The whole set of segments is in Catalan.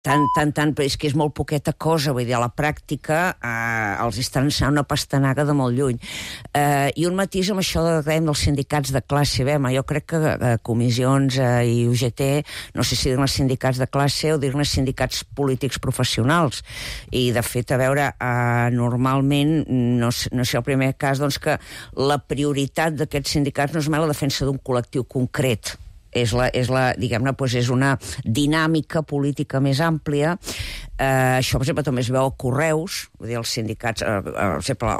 Tant, però és que és molt poqueta cosa, vull dir, a la pràctica els estan ensenyant una pastanaga de molt lluny. I un matís amb això dels sindicats de classe. Jo crec que comissions i UGT, no sé si dir-ne sindicats de classe o dir-ne sindicats polítics professionals. I, de fet, a veure, normalment, no sé el primer cas, doncs que la prioritat d'aquests sindicats no és mai la defensa d'un col·lectiu concret. Diguem-ne, és una dinàmica política més àmplia. Això, per exemple, també es veu a Correus, vull dir, els sindicats, per exemple,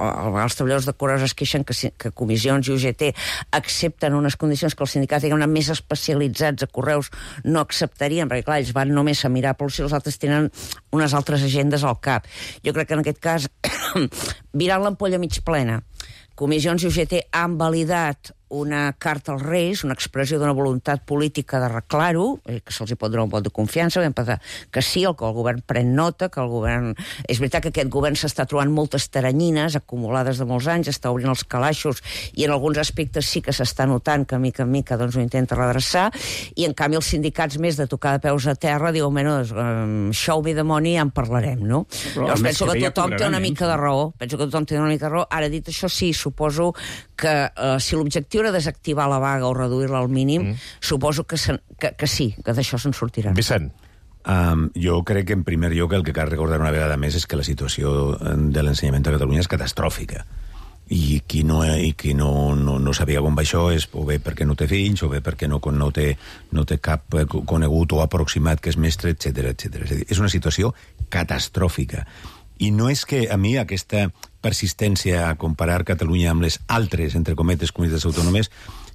els treballadors de Correus es queixen que comissions i UGT accepten unes condicions que els sindicats, diguem-ne, més especialitzats a Correus no acceptarien, perquè, clar, ells van només a mirar per si els altres tenen unes altres agendes al cap. Jo crec que en aquest cas, virant l'ampolla mig plena, comissions i UGT han validat una carta als Reis, una expressió d'una voluntat política d'arreglar-ho, que se'ls hi pot donar un vot de confiança, que sí, que el govern pren nota, que el govern... És veritat que aquest govern s'està trobant moltes taranyines acumulades de molts anys, està obrint els calaixos, i en alguns aspectes sí que s'està notant que mica en mica doncs, ho intenta redreçar, i en canvi els sindicats més de tocar de peus a terra diuen, show me the money, ja en parlarem, no? Llavors penso que tothom té una mica de raó. Ara, dit això, sí, suposo que si l'objectiu era desactivar la vaga o reduir-la al mínim, suposo que sí, que d'això se'n sortirà. Vicent. Jo crec que, en primer lloc, el que cal recordar una vegada més és que la situació de l'ensenyament a Catalunya és catastròfica. I qui no sabia com va això és o bé perquè no té fills, o bé perquè no té cap conegut o aproximat que és mestre, etc. És una situació catastròfica. I no és que a mi aquesta persistència a comparar Catalunya amb les altres, entre cometes, comunitats autònomes,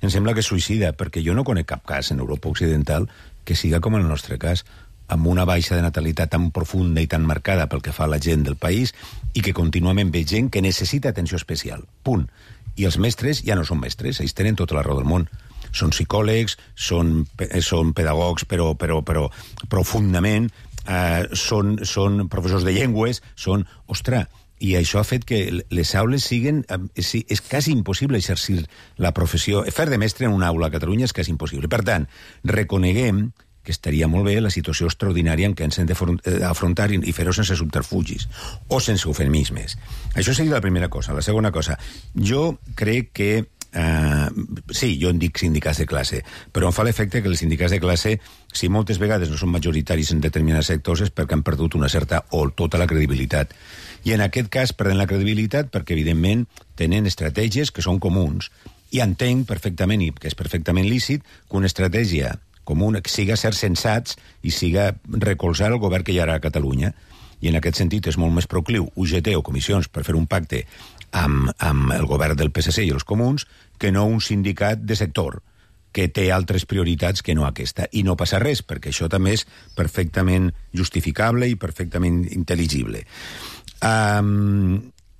em sembla que és suïcida, perquè jo no conec cap cas en Europa Occidental que siga com el nostre cas, amb una baixa de natalitat tan profunda i tan marcada pel que fa a la gent del país i que contínuament ve gent que necessita atenció especial. Punt. I els mestres ja no són mestres, ells tenen tota la raó del món. Són psicòlegs, són pedagogs, però profundament, són professors de llengües, ostres, i això ha fet que les aules siguin... És quasi impossible exercir la professió. Fer de mestre en una aula a Catalunya és quasi impossible. Per tant, reconeguem que estaria molt bé la situació extraordinària en què ens hem d'afrontar i fer-ho sense subterfugis o sense eufemismes. Això seria la primera cosa. La segona cosa, jo crec que sí, jo en dic sindicats de classe, però em fa l'efecte que els sindicats de classe, si moltes vegades no són majoritaris en determinats sectors, és perquè han perdut una certa o tota la credibilitat. I en aquest cas perden la credibilitat perquè, evidentment, tenen estratègies que són comuns. I entenc perfectament, i que és perfectament lícit, que una estratègia comuna siga ser sensats i siga recolzar el govern que hi ha a Catalunya. I en aquest sentit és molt més procliu UGT o comissions per fer un pacte amb el govern del PSC i els comuns que no un sindicat de sector que té altres prioritats que no aquesta. I no passa res, perquè això també és perfectament justificable i perfectament intel·ligible.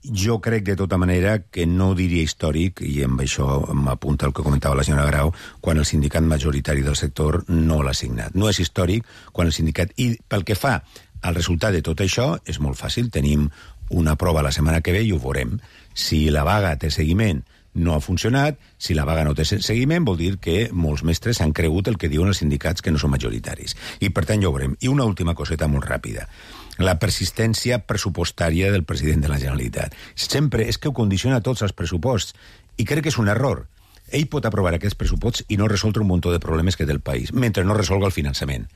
Jo crec, de tota manera, que no diria històric, i amb això m'apunta el que comentava la senyora Grau, quan el sindicat majoritari del sector no l'ha signat. No és històric quan el sindicat... I pel que fa al resultat de tot això, és molt fàcil. Tenim una prova la setmana que ve i ho veurem. Si la vaga té seguiment, no ha funcionat. Si la vaga no té seguiment, vol dir que molts mestres han cregut el que diuen els sindicats que no són majoritaris. I, per tant, ja ho veurem. I una última coseta molt ràpida. La persistència pressupostària del president de la Generalitat. Sempre és que ho condiciona tots els pressuposts. I crec que és un error. Ell pot aprovar aquests pressuposts i no resoldre un munt de problemes que té el país, mentre no resolga el finançament.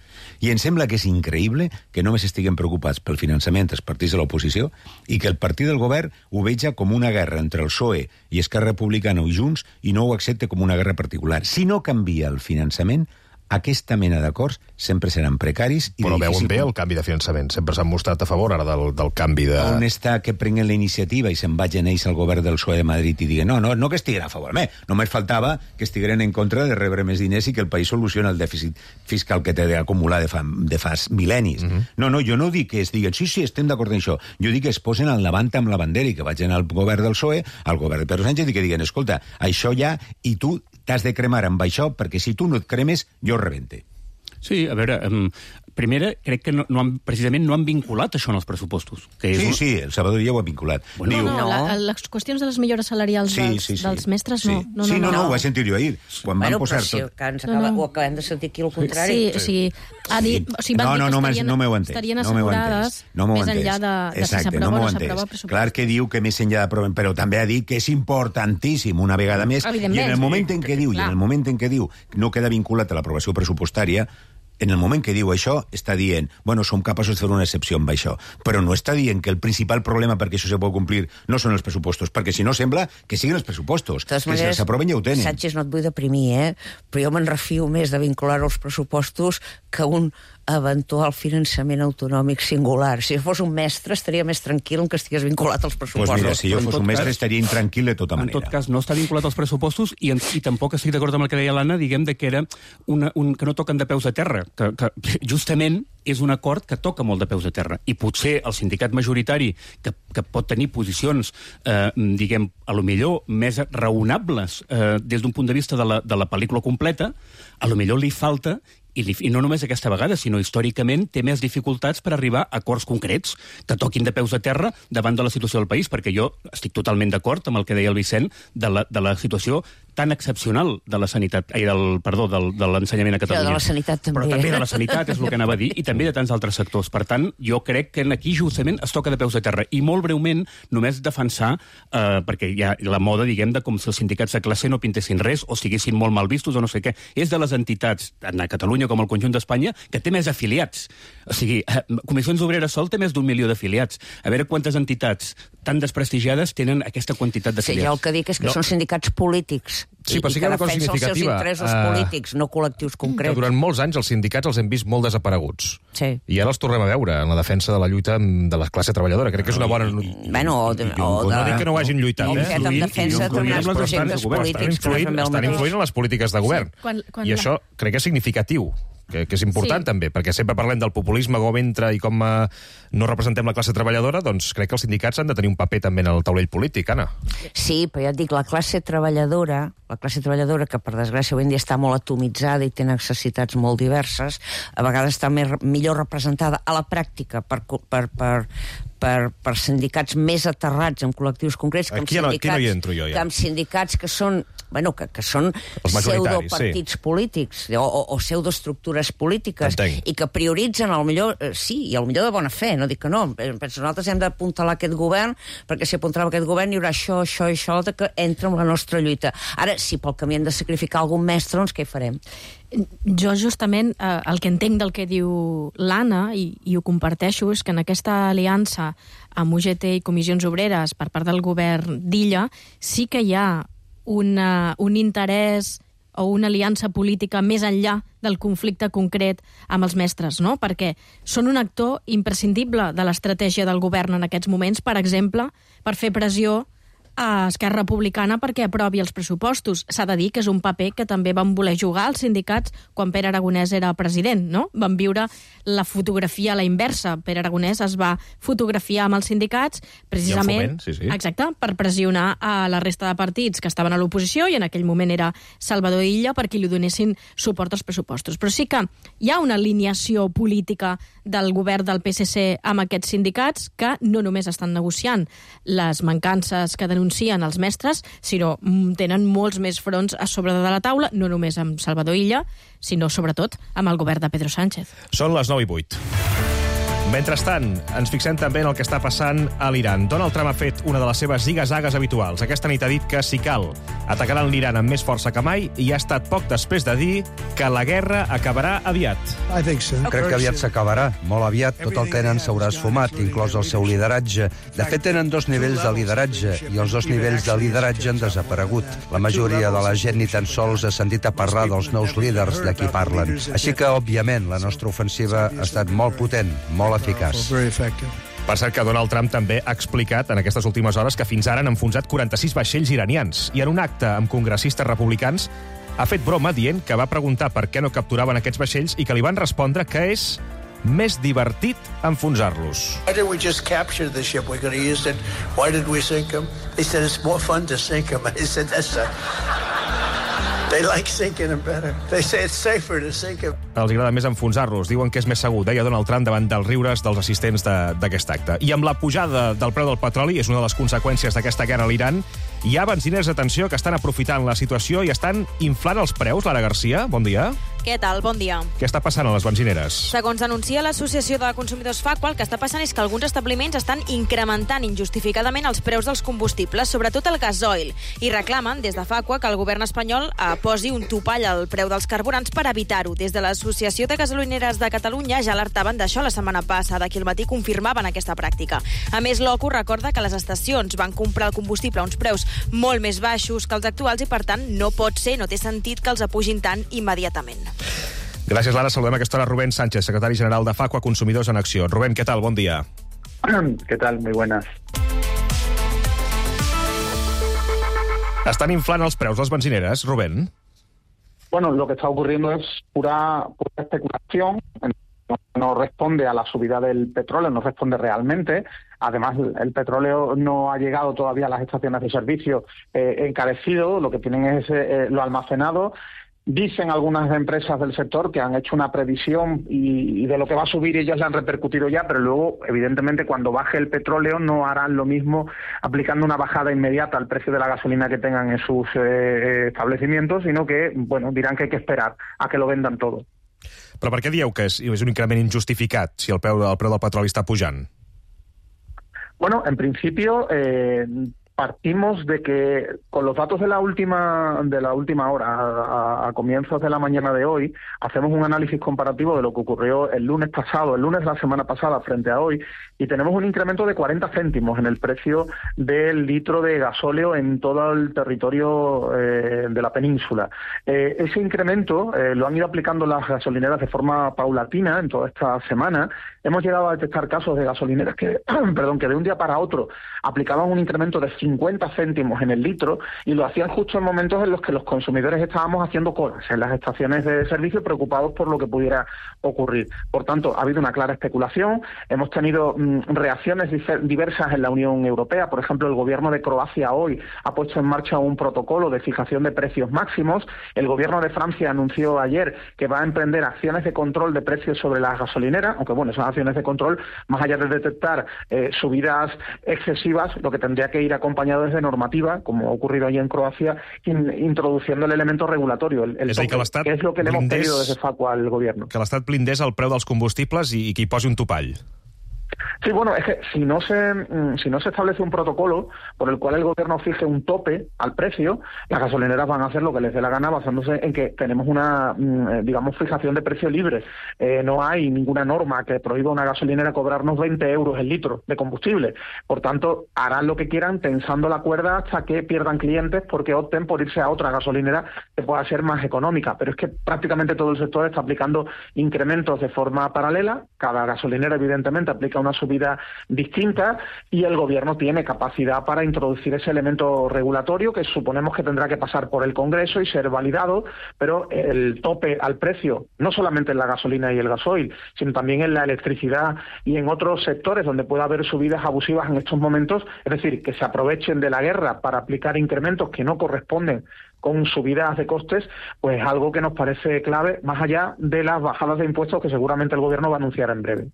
I em sembla que és increïble que només estiguem preocupats pel finançament dels partits de l'oposició i que el partit del govern ho veja com una guerra entre el PSOE i Esquerra Republicana i Junts i no ho accepte com una guerra particular. Si no canvia el finançament, aquesta mena d'acords sempre seran precaris. Però veuen bé el canvi de finançament. Sempre s'han mostrat a favor ara del canvi de... On està que prenguen la iniciativa i se'n vagin ells al govern del PSOE de Madrid i diguen no que estiguin a favor. Només faltava que estigueren en contra de rebre més diners i que el país soluciona el dèficit fiscal que té d'acumular de fa mil·lennis. No, jo no dic que es diguen sí, estem d'acord en això. Jo dic que es posen al davant amb la bandera i que vagin al govern del PSOE, al govern de Pedro Sánchez i que diguen, escolta, això ja, i tu t'has de cremar amb això, perquè si tu no et cremes, jo rebente. Sí, a veure, primera, crec que precisament no han vinculat això en els pressupostos. Sí, el Salvador Illa ho ha vinculat. Les qüestions de les millores salarials dels mestres no. No, ho he sentit jo ahir. Quan van posar tot... Ho acabem de sentir aquí al contrari. No m'heu entès. Estarien assegurades més enllà de si s'aprova o no s'aprova el pressupost. Clar que diu que més enllà d'aprovar, però també ha dit que és importantíssim una vegada més. I en el moment en què diu no queda vinculat a l'aprovació pressupostària, en el moment que diu això, està dient, bueno, som capaços de fer una excepció amb això, però no està dient que el principal problema perquè això se pot complir no són els pressupostos, perquè si no sembla que siguin els pressupostos, que si els aproven ja ho tenen. Sánchez, no et vull deprimir, però jo me'n refio més de vincular els pressupostos que un eventual finançament autonòmic singular. Si fos un mestre, estaria més tranquil que estigués vinculat als pressupostos. Pues mira, si jo fos un mestre, estaria intranquil de tota manera. En tot cas, no està vinculat als pressupostos i tampoc estic d'acord amb el que deia l'Anna, diguem que era que no toquen de peus a terra, que justament és un acord que toca molt de peus a terra. I potser el sindicat majoritari, que pot tenir posicions, diguem, a lo millor més raonables des d'un punt de vista de la pel·lícula completa, a lo millor li falta, i no només aquesta vegada, sinó històricament, té més dificultats per arribar a acords concrets que toquin de peus a terra davant de la situació del país, perquè jo estic totalment d'acord amb el que deia el Vicent de la situació tan excepcional de la sanitat, de l'ensenyament a Catalunya. Però de la sanitat també. Però també de la sanitat, és el que anava a dir, i també de tants altres sectors. Per tant, jo crec que aquí justament es toca de peus a terra. I molt breument, només defensar, perquè hi ha la moda, diguem, de com si els sindicats de classe no pintessin res o siguessin molt mal vistos o no sé què. És de les entitats, tant a Catalunya com al conjunt d'Espanya, que té més afiliats. O sigui, Comissions Obreres Sol té més d'1 milió d'afiliats. A veure quantes entitats tan desprestigiades tenen aquesta quantitat d'afiliats. Sí, jo el que dic és que són sindicats polítics. Sí, però sí que hi ha una cosa significativa. Els seus interessos polítics, no col·lectius concrets. Que durant molts anys els sindicats els hem vist molt desapareguts. Sí. I ara els tornem a veure en la defensa de la lluita de la classe treballadora. Crec que és una bona... Bueno, no dic que no ho hagin lluitat, en defensa de determinats projectes polítics. Estan influint en les polítiques de govern. I això crec que és significatiu, que és important també, perquè sempre parlem del populisme, com entra i com no representem la classe treballadora, doncs crec que els sindicats han de tenir un paper també en el taulell polític, Anna. Sí, però ja et dic, la classe treballadora, que per desgràcia avui en dia està molt atomitzada i té necessitats molt diverses, a vegades està millor representada a la pràctica per sindicats més aterrats en col·lectius concrets, aquí no hi entro jo, ja. Que amb sindicats que són pseudopartits polítics o pseudoestructures polítiques. Entenc. I que prioritzen, sí, i potser de bona fe, no dic que no. Penso, nosaltres hem d'apuntalar aquest govern, perquè si apuntalem aquest govern hi haurà això i això que entra en la nostra lluita. Ara, si pel camí hem de sacrificar algun mestre, doncs què hi farem? Jo justament el que entenc del que diu l'Anna, i ho comparteixo, és que en aquesta aliança amb UGT i Comissions Obreres per part del govern d'Illa sí que hi ha un interès o una aliança política més enllà del conflicte concret amb els mestres, no? Perquè són un actor imprescindible de l'estratègia del govern en aquests moments, per exemple, per fer pressió a Esquerra Republicana perquè aprovi els pressupostos. S'ha de dir que és un paper que també van voler jugar els sindicats quan Pere Aragonès era president, no? Van viure la fotografia a la inversa. Pere Aragonès es va fotografiar amb els sindicats precisament, sí. Exacte, per pressionar a la resta de partits que estaven a l'oposició, i en aquell moment era Salvador Illa, perquè li donessin suport als pressupostos. Però sí que hi ha una alineació política del govern del PSC amb aquests sindicats que no només estan negociant les mancances que denuncien els mestres, sinó tenen molts més fronts a sobre de la taula, no només amb Salvador Illa, sinó sobretot amb el govern de Pedro Sánchez. Són les 9:08. Mentrestant, ens fixem també en el que està passant a l'Iran. Donald Trump ha fet una de les seves ziga-zagues habituals. Aquesta nit ha dit que, si cal, atacaran l'Iran amb més força que mai, i ha estat poc després de dir que la guerra acabarà aviat. Crec que aviat s'acabarà. Molt aviat tot el que tenen s'haurà esfumat, inclòs el seu lideratge. De fet, tenen 2 nivells de lideratge, i els 2 nivells de lideratge han desaparegut. La majoria de la gent ni tan sols ha sentit a parlar dels nous líders de qui parlen. Així que, òbviament, la nostra ofensiva ha estat molt potent, molt eficaç. Per cert que Donald Trump també ha explicat en aquestes últimes hores que fins ara han enfonsat 46 vaixells iranians, i en un acte amb congressistes republicans ha fet broma dient que va preguntar per què no capturaven aquests vaixells i que li van respondre que és més divertit enfonsar-los. Why did we just capture the ship? We're going to use it. Why did we sink them? They said it's more fun to sink them. I said that's a... They like sinking them better. They say it's safer to sink them. Els agrada més enfonsar-los. Diuen que és més segur, deia Donald Trump davant dels riures dels assistents d'aquest acte. I amb la pujada del preu del petroli, és una de les conseqüències d'aquesta guerra a l'Iran, hi ha benziners, atenció, que estan aprofitant la situació i estan inflant els preus. Lara Garcia, bon dia. Què tal? Bon dia. Què està passant a les benzineres? Segons denuncia l'Associació de Consumidors FACUA, el que està passant és que alguns establiments estan incrementant injustificadament els preus dels combustibles, sobretot el gasoil, i reclamen des de FACUA que el govern espanyol posi un topall al preu dels carburants per evitar-ho. Des de l'Associació de Gasolineres de Catalunya ja alertaven d'això la setmana passada, que al matí confirmaven aquesta pràctica. A més, l'OCU recorda que les estacions van comprar el combustible a uns preus molt més baixos que els actuals i, per tant, no té sentit que els apugin tant immediatament. Gràcies, Lara. Saludem a aquesta hora Rubén Sánchez, secretari general de FACUA Consumidors en Acció. Rubén, ¿qué tal? Bon dia. ¿Qué tal? Muy buenas. Estan inflant els preus les benzineres, Rubén? Bueno, lo que está ocurriendo es pura especulación. No responde a la subida del petróleo, no responde realmente. Además, el petróleo no ha llegado todavía a las estaciones de servicio encarecido. Lo que tienen es lo almacenado. Dicen algunas empresas del sector que han hecho una previsión y de lo que va a subir ellas la han repercutido ya, pero luego, evidentemente, cuando baje el petróleo no harán lo mismo aplicando una bajada inmediata al precio de la gasolina que tengan en sus establecimientos, sino que, bueno, dirán que hay que esperar a que lo vendan todo. Però per què dieu que és un increment injustificat si el preu del petroli està pujant? Bueno, en principio partimos de que con los datos de la última hora, a comienzos de la mañana de hoy, hacemos un análisis comparativo de lo que ocurrió el lunes de la semana pasada frente a hoy, y tenemos un incremento de 40 céntimos en el precio del litro de gasóleo en todo el territorio de la península. Ese incremento lo han ido aplicando las gasolineras de forma paulatina en toda esta semana. Hemos llegado a detectar casos de gasolineras que de un día para otro aplicaban un incremento de 50 céntimos en el litro y lo hacían justo en momentos en los que los consumidores estábamos haciendo colas en las estaciones de servicio preocupados por lo que pudiera ocurrir. Por tanto, ha habido una clara especulación. Hemos tenido reacciones diversas en la Unión Europea. Por ejemplo, el gobierno de Croacia hoy ha puesto en marcha un protocolo de fijación de precios máximos. El gobierno de Francia anunció ayer que va a emprender acciones de control de precios sobre las gasolineras, aunque bueno, esas acciones de control, más allá de detectar subidas excesivas, lo que tendría que ir acompañado es de normativa, como ha ocurrido allí en Croacia, introduciendo el elemento regulatorio, el tope, que es lo que le hemos pedido desde FACUA al gobierno. Que l'Estat blindés el preu dels combustibles i que hi posi un topall. Sí, bueno, es que si no se establece un protocolo por el cual el gobierno fije un tope al precio, las gasolineras van a hacer lo que les dé la gana basándose en que tenemos una, fijación de precio libre. No hay ninguna norma que prohíba a una gasolinera cobrarnos 20 euros el litro de combustible. Por tanto, harán lo que quieran tensando la cuerda hasta que pierdan clientes porque opten por irse a otra gasolinera que pueda ser más económica. Pero es que prácticamente todo el sector está aplicando incrementos de forma paralela. Cada gasolinera, evidentemente, aplica una subida distinta y el gobierno tiene capacidad para introducir ese elemento regulatorio que suponemos que tendrá que pasar por el Congreso y ser validado, pero el tope al precio, no solamente en la gasolina y el gasoil, sino también en la electricidad y en otros sectores donde pueda haber subidas abusivas en estos momentos, es decir, que se aprovechen de la guerra para aplicar incrementos que no corresponden con subidas de costes, pues algo que nos parece clave, más allá de las bajadas de impuestos que seguramente el gobierno va a anunciar en breve.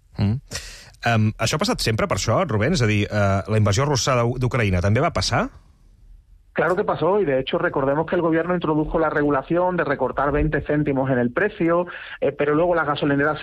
Això ha passat sempre per això, Rubén? És a dir, la invasió russa d'Ucraïna també va passar? Claro que pasó, y de hecho recordemos que el gobierno introdujo la regulación de recortar 20 céntimos en el precio, pero luego las gasolineras,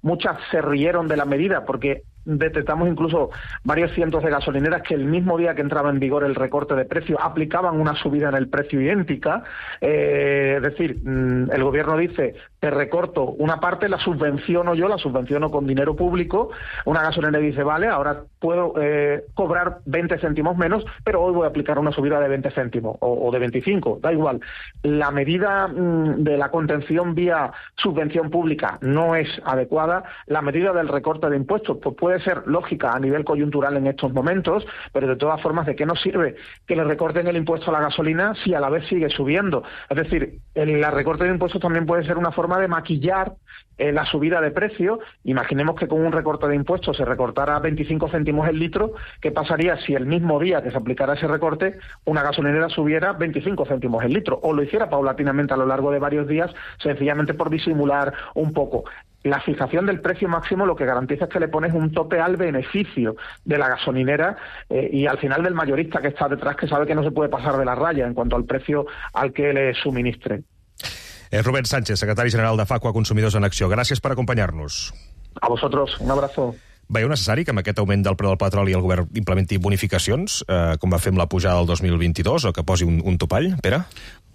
muchas se rieron de la medida porque detectamos incluso varios cientos de gasolineras que el mismo día que entraba en vigor el recorte de precio aplicaban una subida en el precio idéntica. Es decir, el gobierno dice, te recorto una parte, la subvenciono con dinero público. Una gasolinera dice, vale, ahora puedo cobrar 20 céntimos menos, pero hoy voy a aplicar una subida de 20 céntimos o de 25, da igual. La medida de la contención vía subvención pública no es adecuada. La medida del recorte de impuestos pues puede puede ser lógica a nivel coyuntural en estos momentos, pero de todas formas, ¿de qué nos sirve que le recorten el impuesto a la gasolina si a la vez sigue subiendo? Es decir, el recorte de impuestos también puede ser una forma de maquillar la subida de precio. Imaginemos que con un recorte de impuestos se recortara 25 céntimos el litro. ¿Qué pasaría si el mismo día que se aplicara ese recorte una gasolinera subiera 25 céntimos el litro? O lo hiciera paulatinamente a lo largo de varios días, sencillamente por disimular un poco. La fijación del precio máximo lo que garantiza es que le pones un tope al beneficio de la gasolinera y al final del mayorista que está detrás, que sabe que no se puede pasar de la raya en cuanto al precio al que le suministre. Rubén Sánchez, secretari general de Facua Consumidors en Acció. Gràcies per acompanyar-nos. A vosotros, un abrazo. Veieu necessari que amb aquest augment del preu del petroli el govern implementi bonificacions, com va fer amb la pujada del 2022, o que posi un topall, Pere?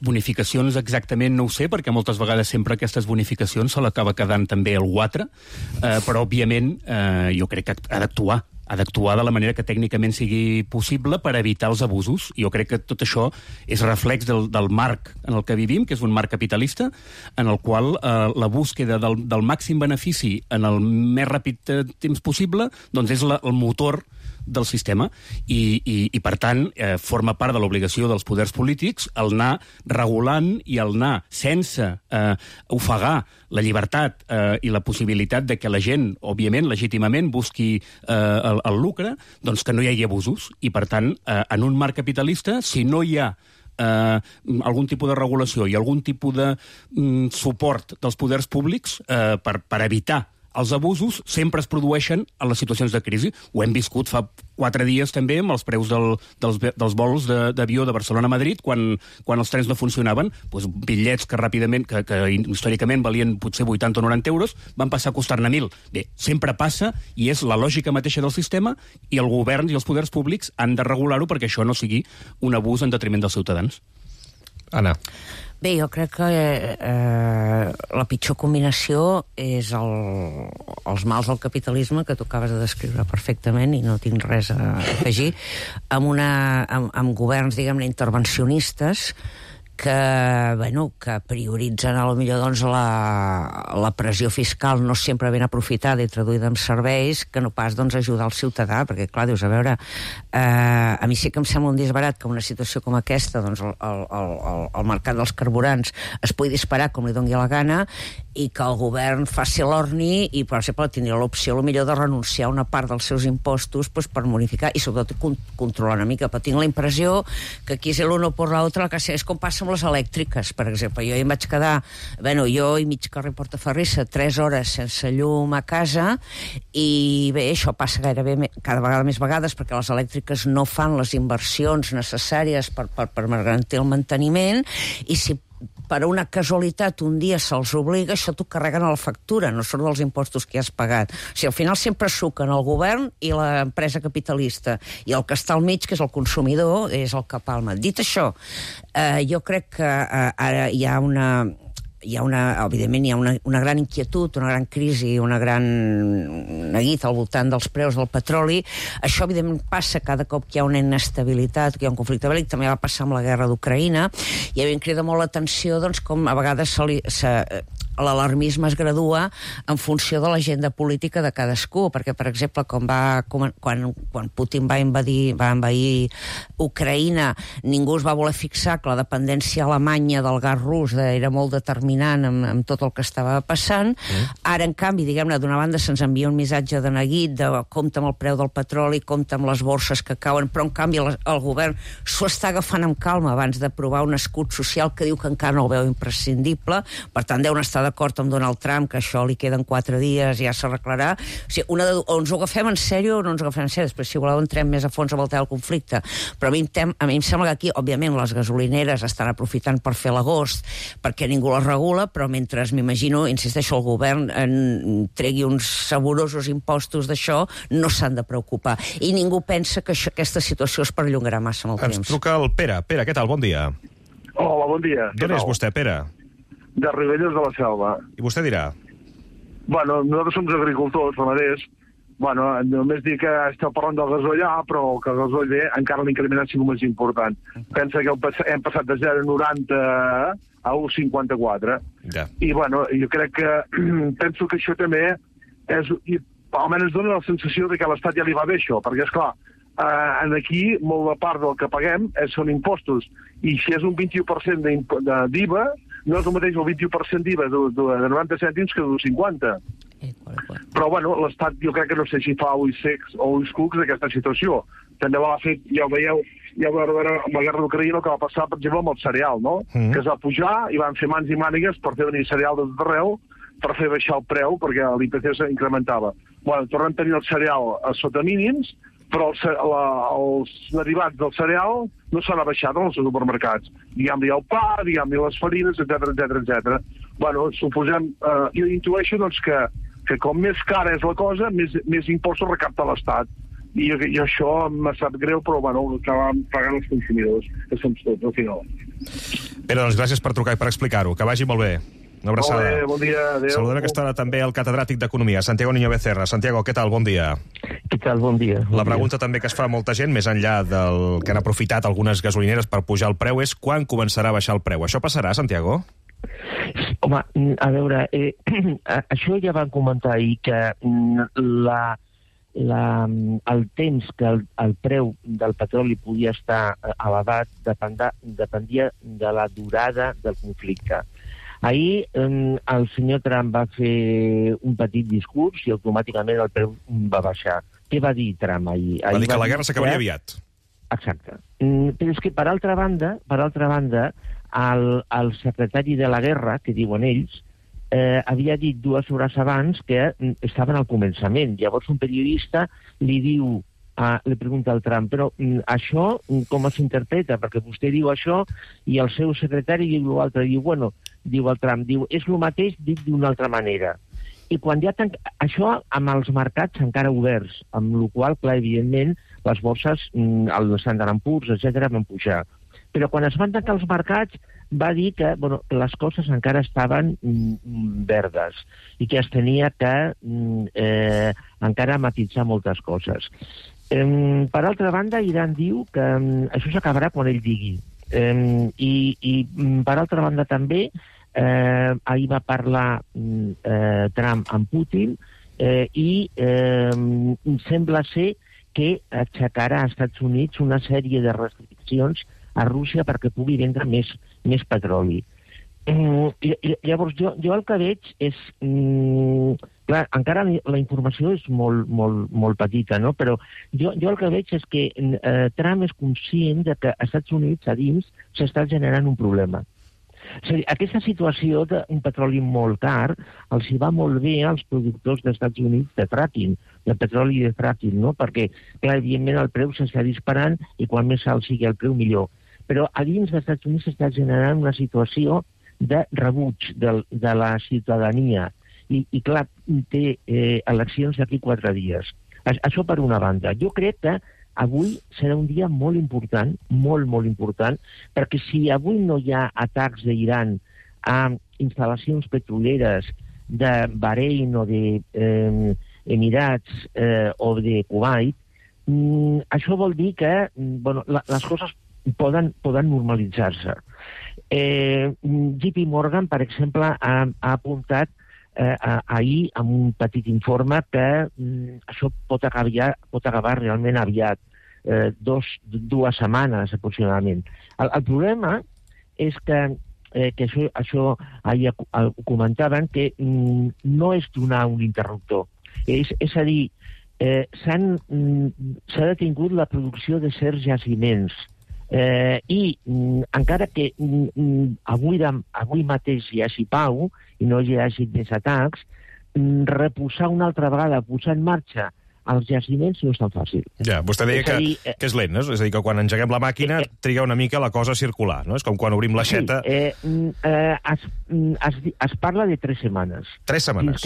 Bonificacions exactament no ho sé, perquè moltes vegades sempre aquestes bonificacions se l'acaba quedant també el guatre, però òbviament jo crec que ha d'actuar de la manera que tècnicament sigui possible per evitar els abusos. Jo crec que tot això és reflex del marc en el que vivim, que és un marc capitalista, en el qual la búsqueda del màxim benefici en el més ràpid temps possible doncs és el motor del sistema i per tant, forma part de l'obligació dels poders polítics el anar regulant i el anar sense ofegar la llibertat i la possibilitat de que la gent, òbviament, legítimament, busqui el lucre, doncs que no hi hagi abusos. I per tant, en un marc capitalista, si no hi ha algun tipus de regulació i algun tipus de suport dels poders públics per evitar els abusos, sempre es produeixen en les situacions de crisi. Ho hem viscut fa 4 dies també amb els preus dels vols d'avió de Barcelona a Madrid, quan els trens no funcionaven, doncs bitllets que ràpidament, que històricament valien potser 80 o 90 euros, van passar a costar-ne 1.000. Bé, sempre passa, i és la lògica mateixa del sistema, i el govern i els poders públics han de regular-ho perquè això no sigui un abús en detriment dels ciutadans. Anna. Bé, jo crec que la pitjor combinació és els mals del capitalisme, que tu acabes de descriure perfectament i no tinc res a afegir, amb governs, diguem-ne, intervencionistes que prioritzen potser doncs, la pressió fiscal no sempre ben aprofitada i traduïda en serveis, que no pas doncs, ajudar el ciutadà, perquè clar, dius, a veure, a mi sí que em sembla un disbarat que una situació com aquesta, doncs el mercat dels carburants es pugui disparar com li doni la gana i que el govern faci l'orni i, per exemple, tindria l'opció millor de renunciar a una part dels seus impostos per bonificar i sobretot controlar una mica, però tinc la impressió que aquí és l'uno por la otra, que és com passa amb les elèctriques, per exemple. Jo em vaig quedar, jo i mig carrer Portaferrissa, 3 hores sense llum a casa, i bé, això passa gairebé cada vegada més vegades perquè les elèctriques no fan les inversions necessàries per garantir el manteniment, i si per una casualitat un dia se'ls obliga, això t'ho carreguen a la factura, no surt dels impostos que has pagat. O sigui, al final sempre suquen el govern i l'empresa capitalista, i el que està al mig, que és el consumidor, és el que palma. Dit això, jo crec que ara evidentment hi ha una gran inquietud, una gran crisi, una gran neguit al voltant dels preus del petroli. Això, evidentment, passa cada cop que hi ha una inestabilitat, que hi ha un conflicte bèl·lic. També va passar amb la guerra d'Ucraïna, i a mi em crida molt l'atenció com a vegades l'alarmisme es gradua en funció de l'agenda política de cadascú, perquè, per exemple, quan Putin va envair Ucraïna, ningú es va voler fixar que la dependència alemanya del gas rus era molt determinant amb tot el que estava passant. Ara, en canvi, diguem-ne, d'una banda se'ns envia un missatge de neguit, de compte amb el preu del petroli, compte amb les borses que cauen, però, en canvi, el govern s'ho està agafant amb calma abans d'aprovar un escut social que diu que encara no el veu imprescindible. Per tant, deuen estar d'acord amb Donald Trump, que això li queden 4 dies, ja s'arreglarà. O sigui, o ens ho agafem en sèrio o no ens ho agafem en sèrio. Després, si voleu, entrem més a fons a voltar el conflicte. Però a mi em sembla que aquí, òbviament, les gasolineres estan aprofitant per fer l'agost, perquè ningú les regula, però mentre, m'imagino, insisteixo, el govern tregui uns saborosos impostos d'això, no s'han de preocupar. I ningú pensa que aquesta situació es perllongarà massa amb el temps. Ens truca el Pere. Pere, què tal? Bon dia. Hola, bon dia. D'on és vostè, Pere? De Ribelles de la Selva. I vostè dirà? Bueno, nosaltres som agricultors, ramaders. Bueno, només dir que esteu parlant del gasoll però que el gasoll encara l'increment ha sigut més important. Pensa que hem passat de 0,90 a 1,54. Ja. I, bueno, jo crec que penso que això també és almenys ens dona la sensació de que a l'Estat ja li va bé això, perquè, esclar, aquí molta part del que paguem són impostos, i si és un 21% d'IVA, no és el mateix el 21% d'IVA de 90 cèntims que de 50. Però, bueno, l'Estat jo crec que no sé si fa ulls secs o ulls cucs d'aquesta situació. També l'ha fet, ja ho veieu, amb la guerra d'Ucraïna, el que va passar, per exemple, amb el cereal, no? Que es va pujar i van fer mans i mànigues per fer venir cereal de tot arreu, per fer baixar el preu, perquè l'IPC s'incrementava. Bueno, tornem a tenir el cereal a sota mínims, però els derivats del cereal no s'han abaixat en els supermercats. Diguem-li el pa, diguem-li les farines, etc. Bueno, suposem, jo intueixo doncs, que com més cara és la cosa, més impostos recapta l'Estat. I això m'ha sap greu, però bueno, acabem pagant els consumidors, que som tots, al final. Pere, doncs gràcies per trucar i per explicar-ho. Que vagi molt bé. Una abraçada. Molt bé, bon dia, adéu. Saludem aquesta hora també el catedràtic d'Economia, Santiago Niño Becerra. Santiago, què tal? Bon dia. Què tal? Bon dia. La pregunta també que es fa molta gent, més enllà del que han aprofitat algunes gasolineres per pujar el preu, és quan començarà a baixar el preu. Això passarà, Santiago? Home, a veure, això ja van comentar ahir, que el temps que el preu del petroli podia estar elevat dependia de la durada del conflicte. Ahir el senyor Trump va fer un petit discurs i automàticament el preu va baixar. Què va dir Trump ahir? Va dir que la guerra s'acabaria aviat. Exacte. Però és que, per altra banda, el secretari de la guerra, que diuen ells, havia dit 2 hores abans que estaven al començament. Llavors un periodista li pregunta al Trump, però això com s'interpreta? Perquè vostè diu això i el seu secretari diu l'altre. Diu el Trump, és el mateix dit d'una altra manera. I quan ja això amb els mercats encara oberts, amb la qual cosa, clar, evidentment, les borses, el Standard & Poor's, etc., van pujar. Però quan es van tancar els mercats va dir que les coses encara estaven verdes i que es tenia que encara matitzar moltes coses. Per altra banda, Iran diu que això s'acabarà quan ell digui. I per altra banda també, ahir va parlar Trump amb Putin i sembla ser que aixecarà als Estats Units una sèrie de restriccions a Rússia perquè pugui vendre més petroli. Llavors, jo el que veig és... Clar, encara la informació és molt petita, no? Però jo el que veig és que Trump és conscient de que als Estats Units, a dins, s'està generant un problema. És a dir, aquesta situació d'un petroli molt car els hi va molt bé als productors dels Estats Units de fracking, de petroli i de fracking, no? Perquè, clar, evidentment el preu s'està disparant i quan més alt sigui el preu, millor. Però a dins dels Estats Units s'està generant una situació de rebuig de la ciutadania. I clar, té eleccions d'aquí 4 dies. Això per una banda. Jo crec que avui serà un dia molt important, molt important, perquè si avui no hi ha atacs d'Iran a instal·lacions petroleres de Bahrein o d'Emirats o de Kuwait, això vol dir que les coses poden normalitzar-se. JP Morgan, per exemple, ha apuntat ahir amb un petit informe que això pot acabar realment aviat, 2 setmanes aproximadament. El problema és que això ahir ho comentaven, que no és donar un interruptor. És a dir, s'ha detingut la producció de certs jaciments i encara que avui mateix hi hagi pau i no hi hagi més atacs, reposar una altra vegada, posar en marxa els jaciments no és tan fàcil. Ja, vostè deia que és lent, no? És a dir, que quan engeguem la màquina triga una mica la cosa a circular, no? És com quan obrim l'aixeta... Es parla de 3 setmanes. 3 setmanes.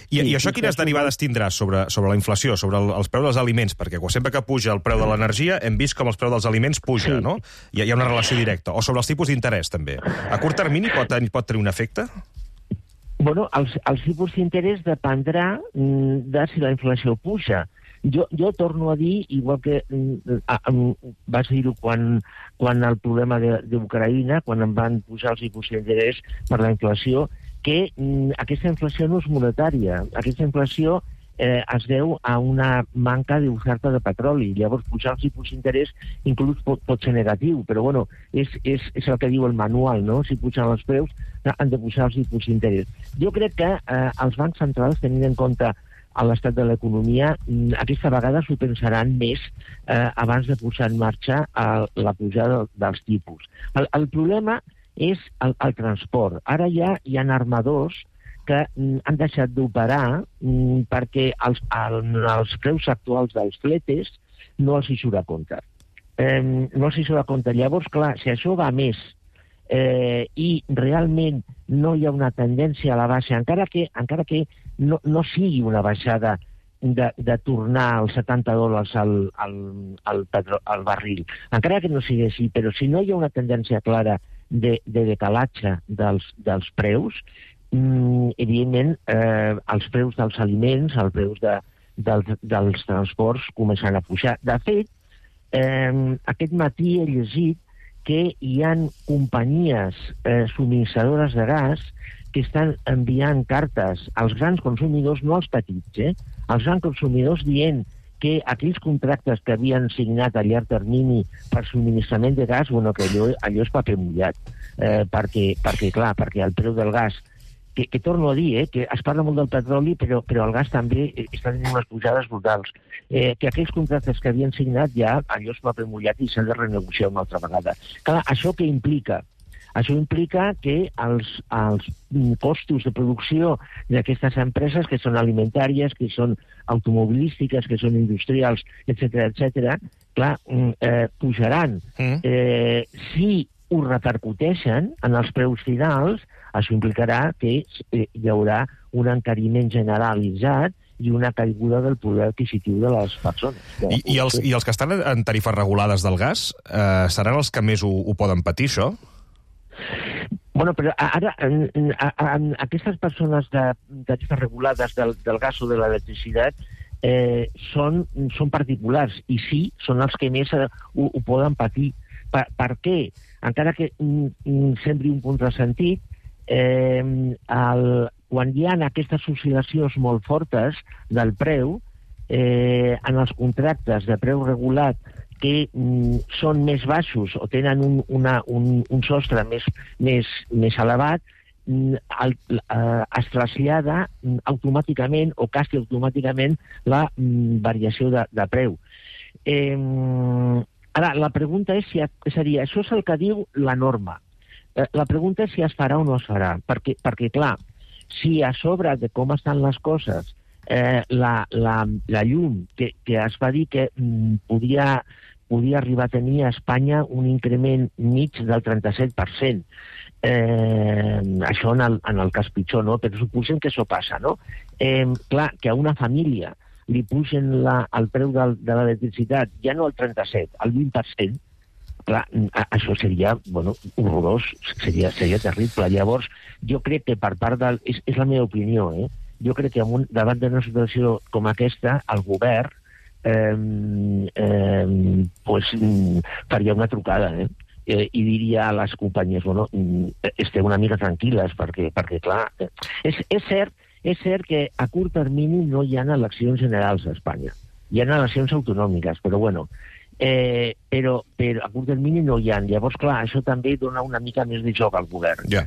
I això quines derivades tindrà sobre la inflació, sobre els preus dels aliments? Perquè sempre que puja el preu de l'energia hem vist com els preus dels aliments puja, no? Hi ha una relació directa. O sobre els tipus d'interès, també. A curt termini pot tenir un efecte? Bueno, els tipus d'interès dependrà de si la inflació puja. Jo torno a dir, igual que vaig dir-ho quan el problema d'Ucraïna, quan em van pujar els tipus d'interès per la inflació, que aquesta inflació no és monetària. Aquesta inflació es deu a una manca d'oferta de petroli. Llavors, pujar els tipus d'interès inclús pot ser negatiu, però bueno, és el que diu el manual, no? Si pugen els preus, han de pujar els tipus d'interès. Jo crec que els bancs centrals, tenint en compte l'estat de l'economia, aquesta vegada s'ho pensaran més abans de posar en marxa la pujada dels tipus. El problema és el transport. Ara ja hi ha armadors que han deixat d'operar perquè els preus actuals dels fletes no els hi surt a compte. No els hi surt a compte. Llavors, clar, si això va més i realment no hi ha una tendència a la baixa, encara que no sigui una baixada de tornar als $70 al barril, encara que no sigui així, però si no hi ha una tendència clara de decalatge dels preus, evidentment els preus dels aliments, els preus dels transports començaran a pujar. De fet, aquest matí he llegit que hi ha companyies subministradores de gas que estan enviant cartes als grans consumidors, no als petits, als grans consumidors, dient que aquells contractes que havien signat a llarg termini per subministrament de gas, bueno, que allò és paper mullat, perquè el preu del gas, que torno a dir, que es parla molt del petroli, però el gas també està tenint unes pujades brutals. Que aquells contractes que havien signat ja, allò és paper mullat i s'han de renegociar una altra vegada. Clar, això què implica? Això implica que els costos de producció d'aquestes empreses, que són alimentàries, que són automobilístiques, que són industrials, etc., clar, pujaran. Si ho repercuteixen en els preus finals, això implicarà que hi haurà un encariment generalitzat i una caiguda del poder adquisitiu de les persones. I els que estan en tarifes regulades del gas seran els que més ho poden patir, això? Bueno, però ara, aquestes persones de tarifes regulades del gas o de l'electricitat són particulars i sí, són els que més ho poden patir. Per què? Encara que sembli un contrasentit, quan hi ha aquestes oscil·lacions molt fortes del preu, en els contractes de preu regulat que són més baixos o tenen un sostre més elevat, es trasllada automàticament o quasi automàticament la variació de preu. Ara, la pregunta és si això és el que diu la norma. La pregunta és si es farà o no es farà, perquè clar, si a sobre de com estan les coses, la llum, que es va dir que podia arribar a tenir a Espanya un increment mig del 37%, això en el cas pitjor, no? Però suposem que això passa, no? Clar, que a una família li pugen el preu de l'electricitat ja no al 37%, al 20%, clar, això seria, bueno, horrorós, seria terrible. Llavors, jo crec que per part del... És la meva opinió, Jo crec que davant d'una situació com aquesta, el govern faria una trucada, i diria a les companyies, bueno, esteu una mica tranquil·les, perquè clar, és cert que a curt termini no hi ha eleccions generals a Espanya. Hi ha eleccions autonòmiques, però bueno, però a curt termini no hi ha. Llavors, clar, això també dona una mica més de joc al govern. Ja.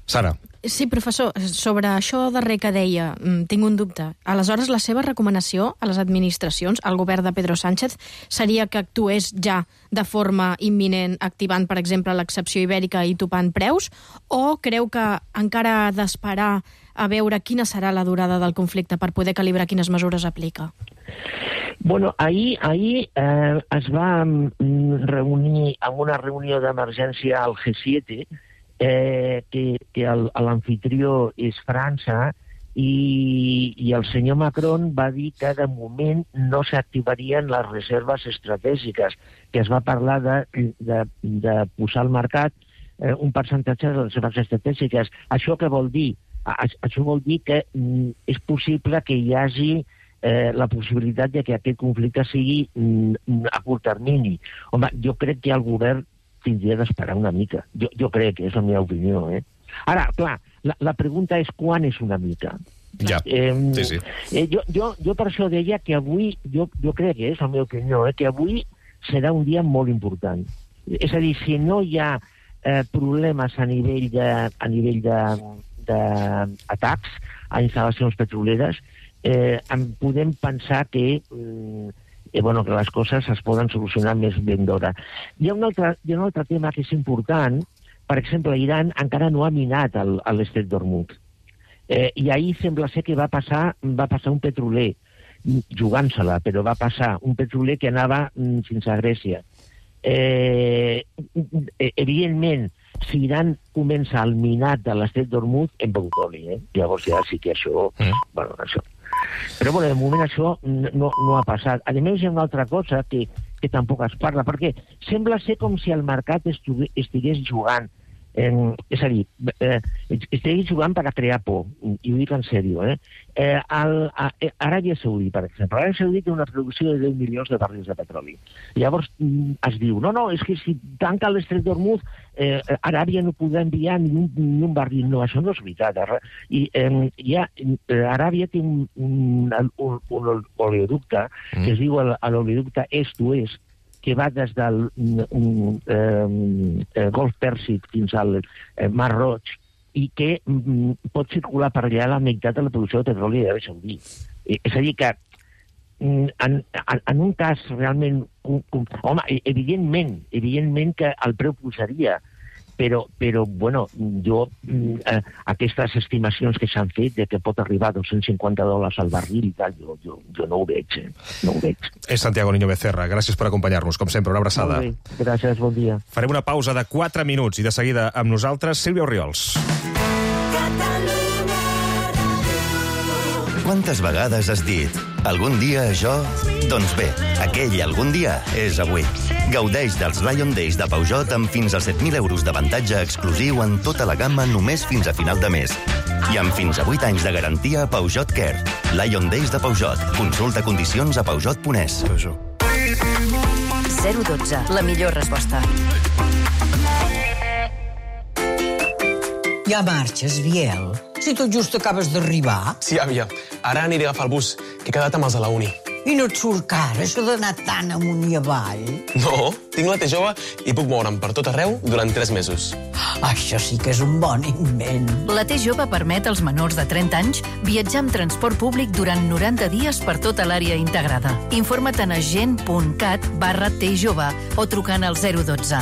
Sara. Sí, professor, sobre això darrer que deia, tinc un dubte. Aleshores, la seva recomanació a les administracions, al govern de Pedro Sánchez, seria que actués ja de forma imminent, activant, per exemple, l'excepció ibèrica i topant preus, o creu que encara ha d'esperar a veure quina serà la durada del conflicte per poder calibrar quines mesures aplica? Bueno, ahir es va reunir en una reunió d'emergència al G7, que l'amfitrió és França, i el senyor Macron va dir que de moment no s'activarien les reserves estratègiques, que es va parlar de posar al mercat un percentatge de les reserves estratègiques. Això què vol dir? Això vol dir que és possible que hi hagi la possibilitat de que aquest conflicte sigui a curt termini. Home, jo crec que el govern tindria d'esperar una mica. Jo crec, és la meva opinió. Ara, clar, la pregunta és quan és una mica. Ja, sí. Jo per això deia que avui, jo crec que és la meva opinió, que avui serà un dia molt important. És a dir, si no hi ha problemes a nivell d'atacs a instal·lacions petroleres, podem pensar que les coses es poden solucionar més ben d'hora. Hi ha un altre tema que és important. Per exemple, Iran encara no ha minat l'estret d'Hormuz. I ahir sembla ser que va passar un petroler, jugant-se-la, però va passar un petroler que anava fins a Grècia. Evidentment, si Iran comença el minat de l'estret d'Hormuz, hem begut oli, Llavors ja sí que això... això. Però, de moment això no ha passat. A més, hi ha una altra cosa que tampoc es parla, perquè sembla ser com si el mercat estigués jugant. És a dir, estigués jugant per a crear por, i ho dic en sèrio. Aràbia Saudí, per exemple. Aràbia Saudí té una producció de 10 milions de barrils de petroli. Llavors es diu, no, és que si tanca l'estret d'Hormuz, Aràbia no podrà enviar ni un barril. No, això no és veritat. Aràbia té un oleoducte que es diu l'oleoducte est-oest, que va des del Golf Pèrsic fins al Mar Roig i que pot circular per allà la meitat de la producció de petroli d'Aràbia Saudí. És a dir que en un cas realment... Home, evidentment que el preu pujaria, però jo aquestes estimacions que s'han fet de que pot arribar a $250 al barril i tal, jo no ho veig, no ho veig. És Santiago Niño Becerra, gràcies per acompanyar-nos, com sempre, una abraçada. Molt bé, gràcies, bon dia. Farem una pausa de 4 minuts i de seguida amb nosaltres, Sílvia Orriols. Quantes vegades has dit algun dia això? Doncs bé, aquell algun dia és avui. Gaudeix dels Lion Days de Peugeot amb fins a 7.000 euros d'avantatge exclusiu en tota la gamma només fins a final de mes. I amb fins a 8 anys de garantia a Peugeot Care. Lion Days de Peugeot. Consulta condicions a Peugeot.es. 012, la millor resposta. Ja marxes, Biel? Si tot just acabes d'arribar. Sí, àvia. Ara aniré a agafar el bus, que he quedat amb els de la uni. I no et surt car, això d'anar tan amunt i avall? No, tinc la T jove i puc moure'm per tot arreu durant 3 mesos. Això sí que és un bon invent. La T jove permet als menors de 30 anys viatjar amb transport públic durant 90 dies per tota l'àrea integrada. Informa't a agent.cat/tjove o trucant al 012.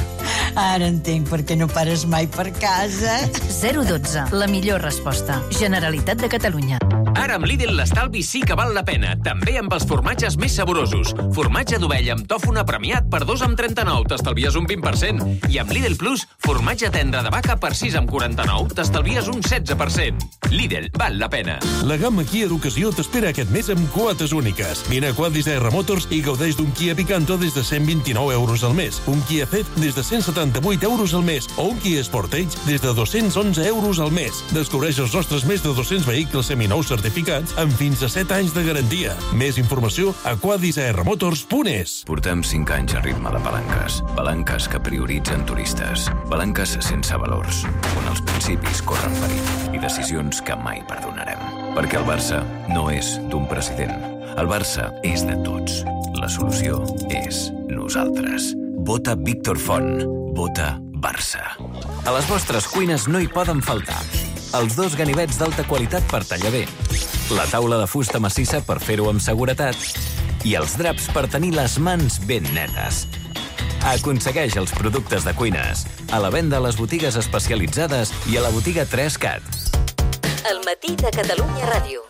Ara entenc per què no pares mai per casa. 012, la millor resposta. Generalitat de Catalunya. Ara amb Lidl l'estalvi sí que val la pena, també amb els formatges més saborosos. Formatge d'ovella amb tòfona premiat per 2,39, t'estalvies un 20%. I amb Lidl Plus, formatge tendre de vaca per 6,49, t'estalvies un 16%. Lidl, val la pena. La gamma Kia d'ocasió t'espera aquest mes amb quotes úniques. Vine a Quadis R Motors i gaudeix d'un Kia Picanto des de 129 euros al mes, un Kia Ceed des de 178 euros al mes o un Kia Sportage des de 211 euros al mes. Descobreix els nostres més de 200 vehicles seminous certificats amb fins a 7 anys de garantia. Més informació a quadisarmotors.es. Portem 5 anys a ritme de palanques. Palanques que prioritzen turistes. Palanques sense valors, on els principis corren perill i decisions que mai perdonarem. Perquè el Barça no és d'un president. El Barça és de tots. La solució és nosaltres. Vota Víctor Font. Vota Barça. A les vostres cuines no hi poden faltar els 2 ganivets d'alta qualitat per tallar bé, la taula de fusta massissa per fer-ho amb seguretat i els draps per tenir les mans ben netes. Aconsegueix els productes de cuines a la venda a les botigues especialitzades i a la botiga 3CAT. El matí de Catalunya Ràdio.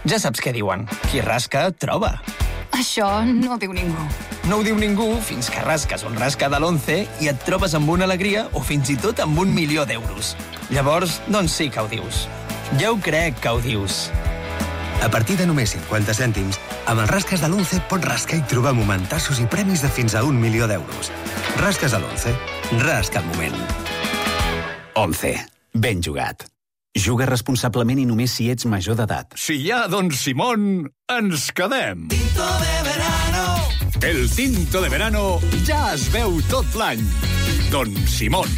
Ja saps què diuen. Qui rasca, troba. Això no ho diu ningú. No ho diu ningú fins que rasques un rasca de l'11 i et trobes amb una alegria o fins i tot amb 1 milió d'euros. Llavors, doncs sí que ho dius. Ja ho crec que ho dius. A partir de només 50 cèntims, amb els rasques de l'11 pots rascar i trobar momentassos i premis de fins a 1 milió d'euros. Rasques de l'11. Rasca el moment. 11. Ben jugat. Juga responsablement i només si ets major d'edat. Si hi ha Don Simón, ens quedem. Tinto de verano. El tinto de verano ja es veu tot l'any. Don Simón.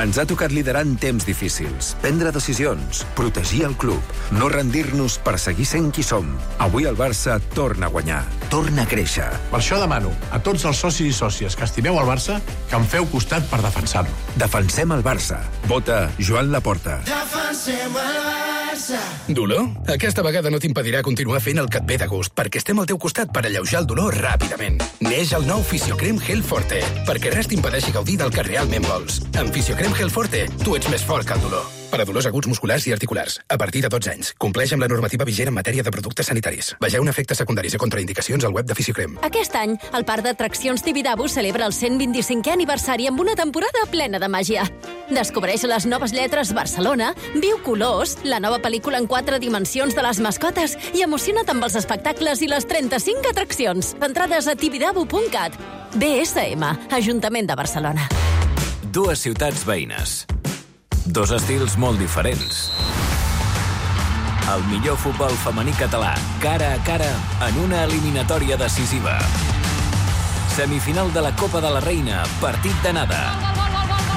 Ens ha tocat liderar en temps difícils, prendre decisions, protegir el club, no rendir-nos per seguir sent qui som. Avui el Barça torna a guanyar, torna a créixer. Per això demano a tots els socis i sòcies que estimeu el Barça que em feu costat per defensar-lo. Defensem el Barça. Vota Joan Laporta. Defensem el Barça. Dolor? Aquesta vegada no t'impedirà continuar fent el que et ve de gust, perquè estem al teu costat per alleujar el dolor ràpidament. Neix el nou Fisiocrem Gel Forte, perquè res t'impedeixi gaudir del que realment vols. Amb Fisiocrem Gel Forte, tu ets més fort que el dolor. Per a dolors aguts musculars i articulars, a partir de 12 anys. Compleix amb la normativa vigent en matèria de productes sanitaris. Vegeu efectes secundaris i contraindicacions al web de Fisiocrem. Aquest any, el Parc d'Atraccions Tibidabo celebra el 125è aniversari amb una temporada plena de màgia. Descobreix les noves lletres Barcelona, viu colors, la nova pel·lícula en 4 dimensions de les mascotes i emociona't amb els espectacles i les 35 atraccions. Entrades a tibidabo.cat. BSM, Ajuntament de Barcelona. Dues ciutats veïnes. Dos estils molt diferents. El millor futbol femení català, cara a cara, en una eliminatòria decisiva. Semifinal de la Copa de la Reina, partit d'anada.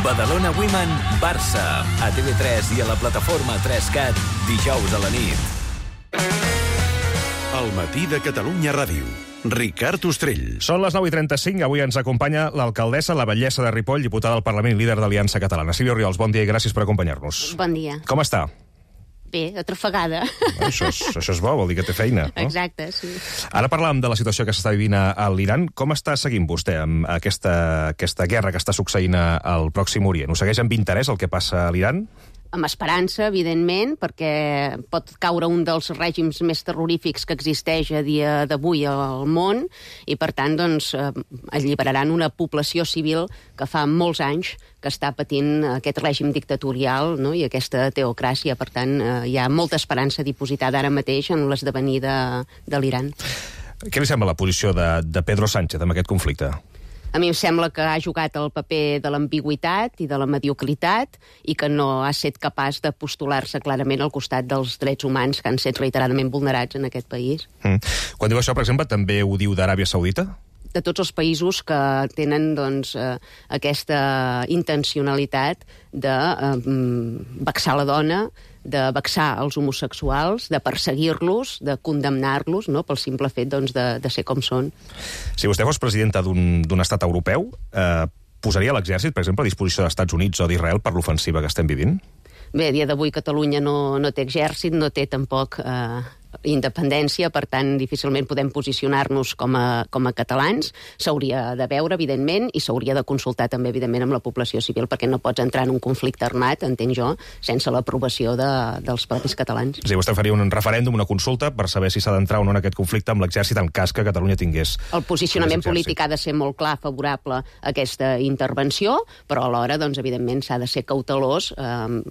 Badalona Women, Barça, a TV3 i a la plataforma 3CAT, dijous a la nit. El matí de Catalunya Ràdio. Ricard Ostrell. Són les 9:35. Avui ens acompanya l'alcaldessa, la batllessa de Ripoll, diputada al Parlament i líder d'Aliança Catalana. Sílvia Oriols, bon dia i gràcies per acompanyar-nos. Bon dia. Com està? Bé, atrofegada. Això és bo, vol dir que té feina, no? Exacte, sí. Ara parlàvem de la situació que s'està vivint a l'Iran. Com està seguint vostè amb aquesta guerra que està succeint al Pròxim Orient? Ho segueix amb interès el que passa a l'Iran? Amb esperança, evidentment, perquè pot caure un dels règims més terrorífics que existeix a dia d'avui al món i, per tant, doncs, alliberaran una població civil que fa molts anys que està patint aquest règim dictatorial, no? I aquesta teocràcia. Per tant, hi ha molta esperança dipositada ara mateix en l'esdevenir de l'Iran. Què li sembla la posició de Pedro Sánchez en aquest conflicte? A mi em sembla que ha jugat el paper de l'ambigüitat i de la mediocritat i que no ha estat capaç de postular-se clarament al costat dels drets humans que han estat reiteradament vulnerats en aquest país. Quan diu això, per exemple, també ho diu d'Aràbia Saudita? De tots els països que tenen doncs, aquesta intencionalitat de vexar la dona, de vexar els homosexuals, de perseguir-los, de condemnar-los, no?, pel simple fet doncs, de ser com són. Si vostè fos presidenta d'un estat europeu, posaria l'exèrcit, per exemple, a disposició dels Estats Units o d'Israel per l'ofensiva que estem vivint? Bé, a dia d'avui Catalunya no té exèrcit, no té tampoc independència, per tant, difícilment podem posicionar-nos com a catalans. S'hauria de veure, evidentment, i s'hauria de consultar també, evidentment, amb la població civil, perquè no pots entrar en un conflicte armat, entenc jo, sense l'aprovació dels propis catalans. És a dir, vostè faria un referèndum, una consulta, per saber si s'ha d'entrar o no en aquest conflicte amb l'exèrcit en cas que Catalunya tingués... El posicionament polític ha de ser molt clar, favorable a aquesta intervenció, però alhora, doncs, evidentment, s'ha de ser cautelós en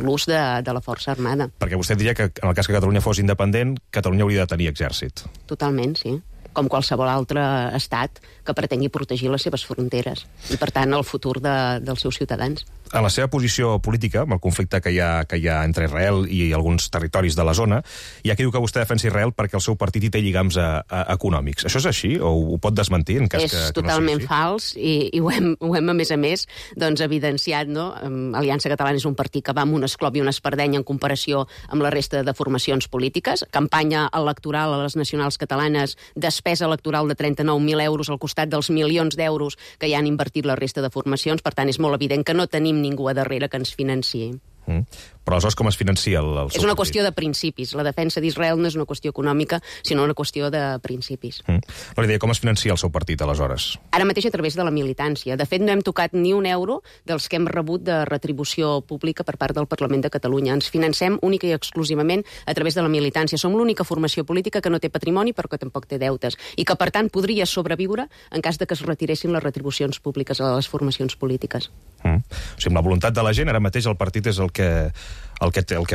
l'ús de la força armada. Perquè vostè diria que en el cas que Catalunya fos independent, Catalunya hauria de tenir exèrcit. Totalment, sí. Com qualsevol altre estat que pretengui protegir les seves fronteres i, per tant, el futur dels seus ciutadans. En la seva posició política, amb el conflicte que hi ha entre Israel i alguns territoris de la zona, hi ha qui diu que vostè defensa Israel perquè el seu partit hi té lligams econòmics. Això és així o ho pot desmentir en cas que no sigui així? És totalment fals i ho hem, a més, doncs, evidenciat, no? Aliança Catalana és un partit que va amb un esclop i una espardenya en comparació amb la resta de formacions polítiques. Campanya electoral a les nacionals catalanes, despesa electoral de 39.000 euros al costat dels milions d'euros que hi han invertit la resta de formacions. Per tant, és molt evident que no tenim ningú a darrere que ens financiï. Però aleshores com es financia el seu És una qüestió de principis. La defensa d'Israel no és una qüestió econòmica, sinó una qüestió de principis. No li deia, com es financia el seu partit, aleshores? Ara mateix a través de la militància. De fet, no hem tocat ni un euro dels que hem rebut de retribució pública per part del Parlament de Catalunya. Ens financem única i exclusivament a través de la militància. Som l'única formació política que no té patrimoni, però que tampoc té deutes, i que, per tant, podria sobreviure en cas de que es retiressin les retribucions públiques a les formacions polítiques. O sigui, amb la voluntat de la gent, ara mateix el partit és el que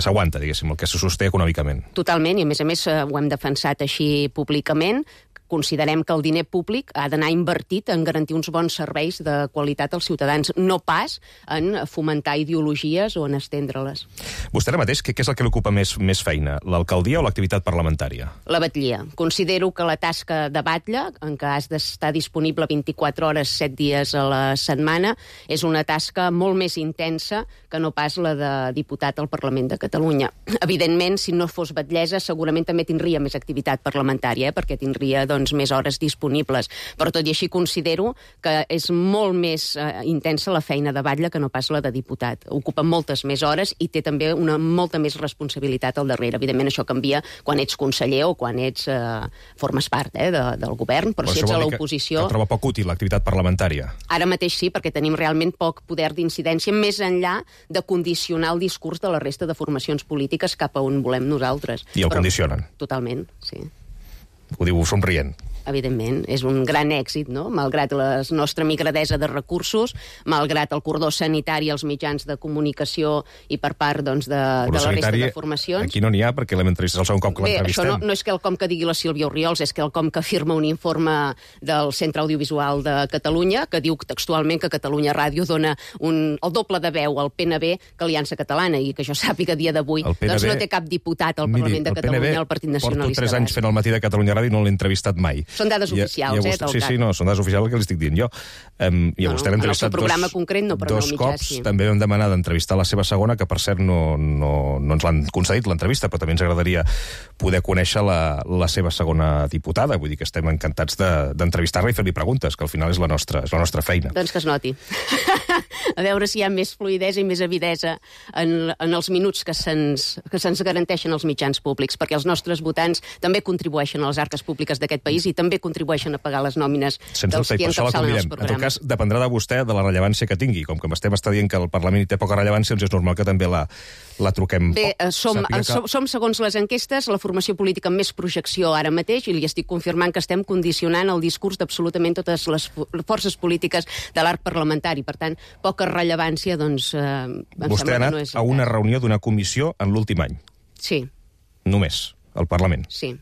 s'aguanta, diguéssim, el que se sosté econòmicament. Totalment, i a més ho hem defensat així públicament. considerem que el diner públic ha d'anar invertit en garantir uns bons serveis de qualitat als ciutadans, no pas en fomentar ideologies o en estendre-les. Vostè ara mateix, què és el que li ocupa més feina, l'alcaldia o l'activitat parlamentària? La batllia. Considero que la tasca de batlle, en què has d'estar disponible 24 hores, 7 dies a la setmana, és una tasca molt més intensa que no pas la de diputat al Parlament de Catalunya. Evidentment, si no fos batllessa, segurament també tindria més activitat parlamentària, perquè tindria més hores disponibles. Però tot i així considero que és molt més intensa la feina de batlle que no pas la de diputat. Ocupa moltes més hores i té també una molta més responsabilitat al darrere. Evidentment, això canvia quan ets conseller o quan formes part del govern, però si ets a l'oposició... Que troba poc útil l'activitat parlamentària. Ara mateix sí, perquè tenim realment poc poder d'incidència, més enllà de condicionar el discurs de la resta de formacions polítiques cap a on volem nosaltres. I el condicionen. Totalment, sí. Ho diu somrient. Evidentment, és un gran èxit, no? Malgrat la nostra migradesa de recursos, malgrat el cordó sanitari als mitjans de comunicació i per part de la resta de formacions. Aquí no n'hi ha, perquè l'hem entrevistat el segon cop que l'entrevistem. Això no és quelcom que digui la Sílvia Orriols, és quelcom que afirma un informe del Centre Audiovisual de Catalunya, que diu textualment que Catalunya Ràdio dona el doble de veu al PNB que Aliança Catalana, i que jo sàpiga a dia d'avui doncs no té cap diputat al Parlament de Catalunya al Partit Nacionalista. Porto 3 anys fent el matí de Catalunya Ràdio i no l'he entrevistat mai. Són dades oficials, Sí, no, són dades oficials el que li estic dient jo. I a vostè l'he entrevistat dos cops. També vam demanar d'entrevistar la seva segona, que per cert no ens l'han concedit l'entrevista, però també ens agradaria poder conèixer la seva segona diputada. Vull dir que estem encantats d'entrevistar-la i fer-li preguntes, que al final és la nostra feina. Doncs que es noti. A veure si hi ha més fluïdesa i més avidesa en els minuts que se'ns garanteixen els mitjans públics, perquè els nostres votants també contribueixen a les arques públiques d'aquest país i també contribueixen a pagar les nòmines dels qui encapçalen els programes. En tot cas, dependrà de vostè de la rellevància que tingui. Com que m'estem dient que el Parlament té poca rellevància, doncs és normal que també la truquem. Bé, som, segons les enquestes, la formació política amb més projecció ara mateix, i li estic confirmant que estem condicionant el discurs d'absolutament totes les forces polítiques de l'arc parlamentari. Per tant, poca rellevància, doncs... Vostè ha anat a una reunió d'una comissió en l'últim any? Sí. Només, al Parlament? Sí.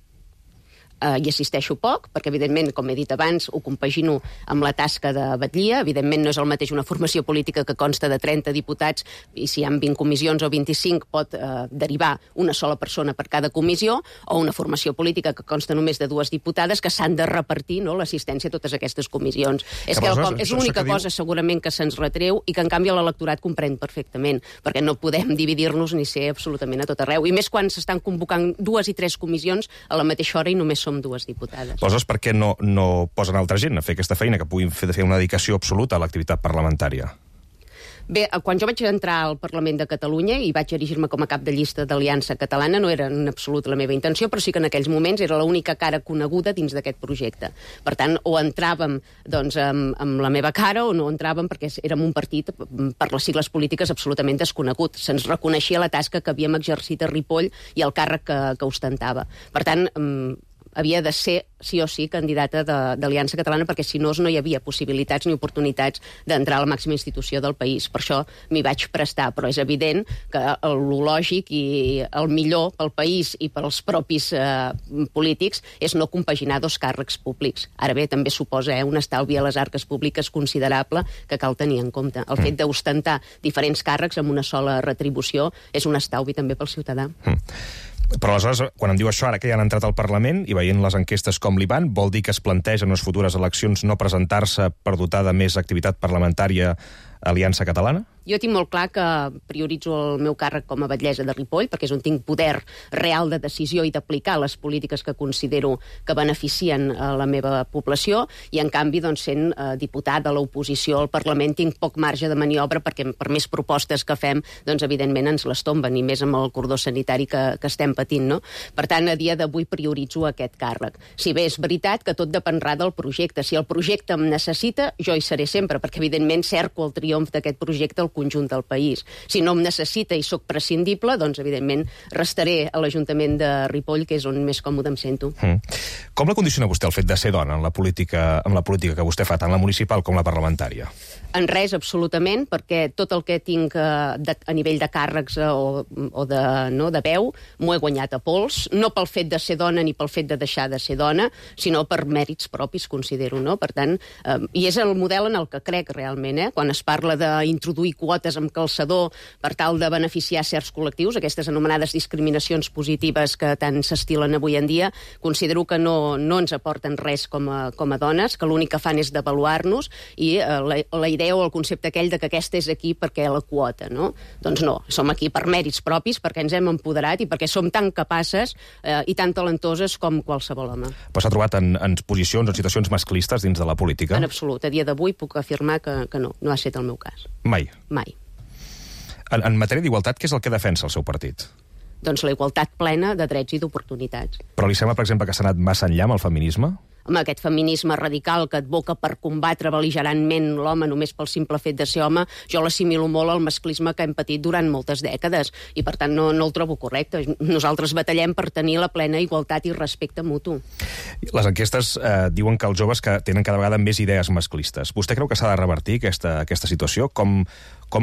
Hi assisteixo poc, perquè, evidentment, com he dit abans, ho compagino amb la tasca de batllia. Evidentment, no és el mateix una formació política que consta de 30 diputats, i si hi ha 20 comissions o 25 pot derivar una sola persona per cada comissió, o una formació política que consta només de 2 diputades que s'han de repartir l'assistència a totes aquestes comissions. És l'única cosa, segurament, que se'ns retreu i que, en canvi, l'electorat comprèn perfectament, perquè no podem dividir-nos ni ser absolutament a tot arreu. I més quan s'estan convocant 2 i 3 comissions a la mateixa hora i només som 2 diputades. Aleshores, per què no posen altra gent a fer aquesta feina, que puguin fer una dedicació absoluta a l'activitat parlamentària? Bé, quan jo vaig entrar al Parlament de Catalunya i vaig erigir-me com a cap de llista d'Aliança Catalana, no era en absolut la meva intenció, però sí que en aquells moments era l'única cara coneguda dins d'aquest projecte. Per tant, o entràvem amb la meva cara o no entràvem perquè érem un partit, per les sigles polítiques, absolutament desconegut. Se'ns reconeixia la tasca que havíem exercit a Ripoll i el càrrec que ostentava. Per tant, havia de ser, sí o sí, candidata d'Aliança Catalana, perquè si no hi havia possibilitats ni oportunitats d'entrar a la màxima institució del país. Per això m'hi vaig prestar, però és evident que el lògic i el millor pel país i pels propis polítics és no compaginar 2 càrrecs públics. Ara bé, també suposa un estalvi a les arques públiques considerable que cal tenir en compte. El fet d'ostentar diferents càrrecs amb una sola retribució és un estalvi també pel ciutadà. Però aleshores, quan em diu això, ara que ja han entrat al Parlament i veient les enquestes com li van, vol dir que es planteja en les futures eleccions no presentar-se per dotar de més activitat parlamentària Aliança Catalana? Jo tinc molt clar que prioritzo el meu càrrec com a batllessa de Ripoll, perquè és on tinc poder real de decisió i d'aplicar les polítiques que considero que beneficien a la meva població, i en canvi, doncs, sent diputat de l'oposició al Parlament, tinc poc marge de maniobra, perquè per més propostes que fem, doncs, evidentment, ens les tomben, i més amb el cordó sanitari que estem patint, no? Per tant, a dia d'avui prioritzo aquest càrrec. Si bé és veritat que tot dependrà del projecte. Si el projecte em necessita, jo hi seré sempre, perquè, evidentment, cerco el triomf d'aquest projecte al conjunt del país. Si no em necessita i sóc prescindible, doncs, evidentment, restaré a l'Ajuntament de Ripoll, que és on més còmode em sento. Com la condiciona vostè el fet de ser dona en la política que vostè fa, tant la municipal com la parlamentària? En res, absolutament, perquè tot el que tinc a nivell de càrrecs o de veu m'ho he guanyat a pols, no pel fet de ser dona ni pel fet de deixar de ser dona, sinó per mèrits propis, considero, no? Per tant, i és el model en el que crec realment, quan es parla d'introduir quotes amb calçador per tal de beneficiar certs col·lectius, aquestes anomenades discriminacions positives que tant s'estilen avui en dia, considero que no ens aporten res com a dones, que l'únic que fan és devaluar-nos, i la idea o el concepte aquell de que aquesta és aquí perquè la quota, no? Doncs no, som aquí per mèrits propis, perquè ens hem empoderat i perquè som tan capaces i tan talentoses com qualsevol home. Però s'ha trobat en posicions, en situacions masclistes dins de la política? En absolut. A dia d'avui puc afirmar que no ha estat el meu cas. Mai? Mai. En matèria d'igualtat, què és el que defensa el seu partit? Doncs la igualtat plena de drets i d'oportunitats. Però li sembla, per exemple, que s'ha anat massa enllà amb el feminisme? Home, aquest feminisme radical que advoca per combatre bel·ligerantment l'home només pel simple fet de ser home, jo l'assimilo molt al masclisme que hem patit durant moltes dècades i, per tant, no el trobo correcte. Nosaltres batallem per tenir la plena igualtat i respecte mutu. Les enquestes diuen que els joves que tenen cada vegada més idees masclistes. Vostè creu que s'ha de revertir aquesta situació? Com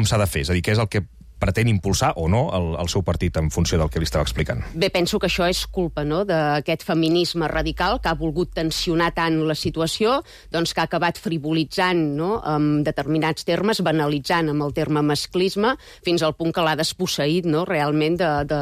s'ha de fer? És a dir, què és el que pretén impulsar o no el seu partit en funció del que li estava explicant? Bé, penso que això és culpa, no?, d'aquest feminisme radical que ha volgut tensionar tant la situació, doncs que ha acabat frivolitzant, no?, amb determinats termes, banalitzant amb el terme masclisme, fins al punt que l'ha desposseït, no?, realment de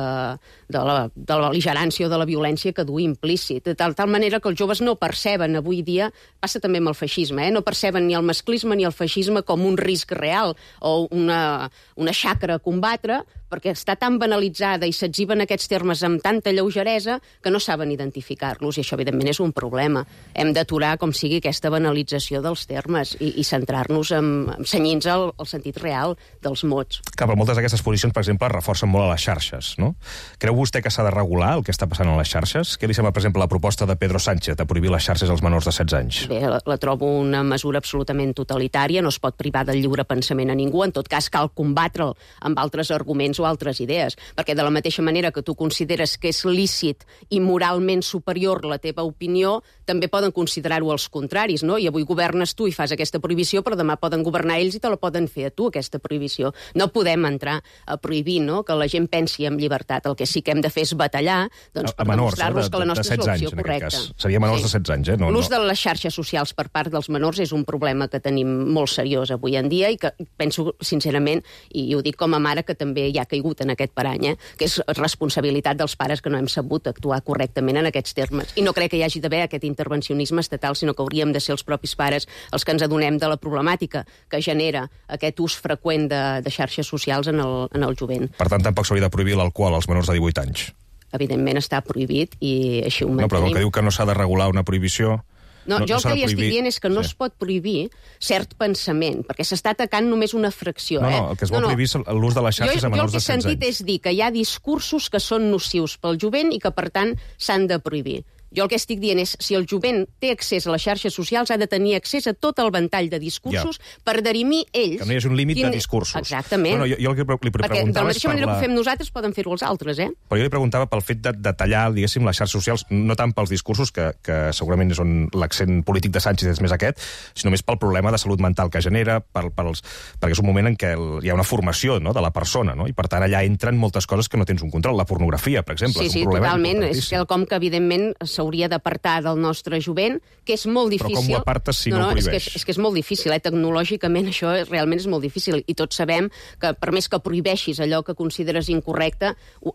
la bel·ligerància o de la violència que du implícit. De tal manera que els joves no perceben avui dia, passa també amb el feixisme, no perceben ni el masclisme ni el feixisme com un risc real o una xacra a combatre, perquè està tan banalitzada i s'exhiben aquests termes amb tanta lleugeresa que no saben identificar-los, i això, evidentment, és un problema. Hem d'aturar, com sigui, aquesta banalització dels termes i centrar-nos en cenyir-nos al sentit real dels mots. Clar, però moltes d'aquestes posicions, per exemple, reforcen molt a les xarxes, no? Creu vostè que s'ha de regular el que està passant a les xarxes? Què li sembla, per exemple, la proposta de Pedro Sánchez de prohibir les xarxes als menors de 16 anys? Bé, la trobo una mesura absolutament totalitària, no es pot privar del lliure pensament a ningú, en tot cas cal combatre'l amb altres arguments o altres idees, perquè de la mateixa manera que tu consideres que és lícit i moralment superior la teva opinió, també poden considerar-ho els contraris, no? I avui governes tu i fas aquesta prohibició, però demà poden governar ells i te la poden fer a tu, aquesta prohibició. No podem entrar a prohibir, no?, que la gent pensi amb llibertat. El que sí que hem de fer és batallar, doncs, per demostrar-los que la nostra és l'opció correcta. Seria menors de 16 anys, eh? L'ús de les xarxes socials per part dels menors és un problema que tenim molt seriós avui en dia i que penso, sincerament, i ho dic com a mare, que també hi ha caigut en aquest parany, que és responsabilitat dels pares que no hem sabut actuar correctament en aquests termes. I no crec que hi hagi d'haver aquest intervencionisme estatal, sinó que hauríem de ser els propis pares els que ens adonem de la problemàtica que genera aquest ús freqüent de xarxes socials en el jovent. Per tant, tampoc s'hauria de prohibir l'alcohol als menors de 18 anys. Evidentment està prohibit i així ho mantenim. No, però el que diu que no s'ha de regular una prohibició... No, jo el que li estic dient és que no es pot prohibir cert pensament, perquè s'està atacant només una fracció. No, el que es vol prohibir és l'ús de les xarxes a menors de 16 anys. Jo el que he sentit és dir que hi ha discursos que són nocius pel jovent i que, per tant, s'han de prohibir. Jo el que estic dient és, si el jovent té accés a les xarxes socials, ha de tenir accés a tot el ventall de discursos per dirimir ells... Que no hi hagi un límit de discursos. Exactament. No, jo el que li preguntava perquè de la mateixa manera que ho fem nosaltres, poden fer-ho els altres, eh? Però jo li preguntava pel fet de tallar, diguéssim, les xarxes socials, no tant pels discursos, que segurament és on l'accent polític de Sánchez és més aquest, sinó més pel problema de salut mental que genera, perquè és un moment en què hi ha una formació, no?, de la persona, no?, i per tant allà entren moltes coses que no tens un control. La pornografia, per exemple, és un problema totalment. És quelcom que, evidentment, s'hauria d'apartar del nostre jovent, que és molt difícil. Però com ho apartes si no ho prohibeix? És que és molt difícil, tecnològicament això realment és molt difícil, i tots sabem que per més que prohibeixis allò que consideres incorrecte,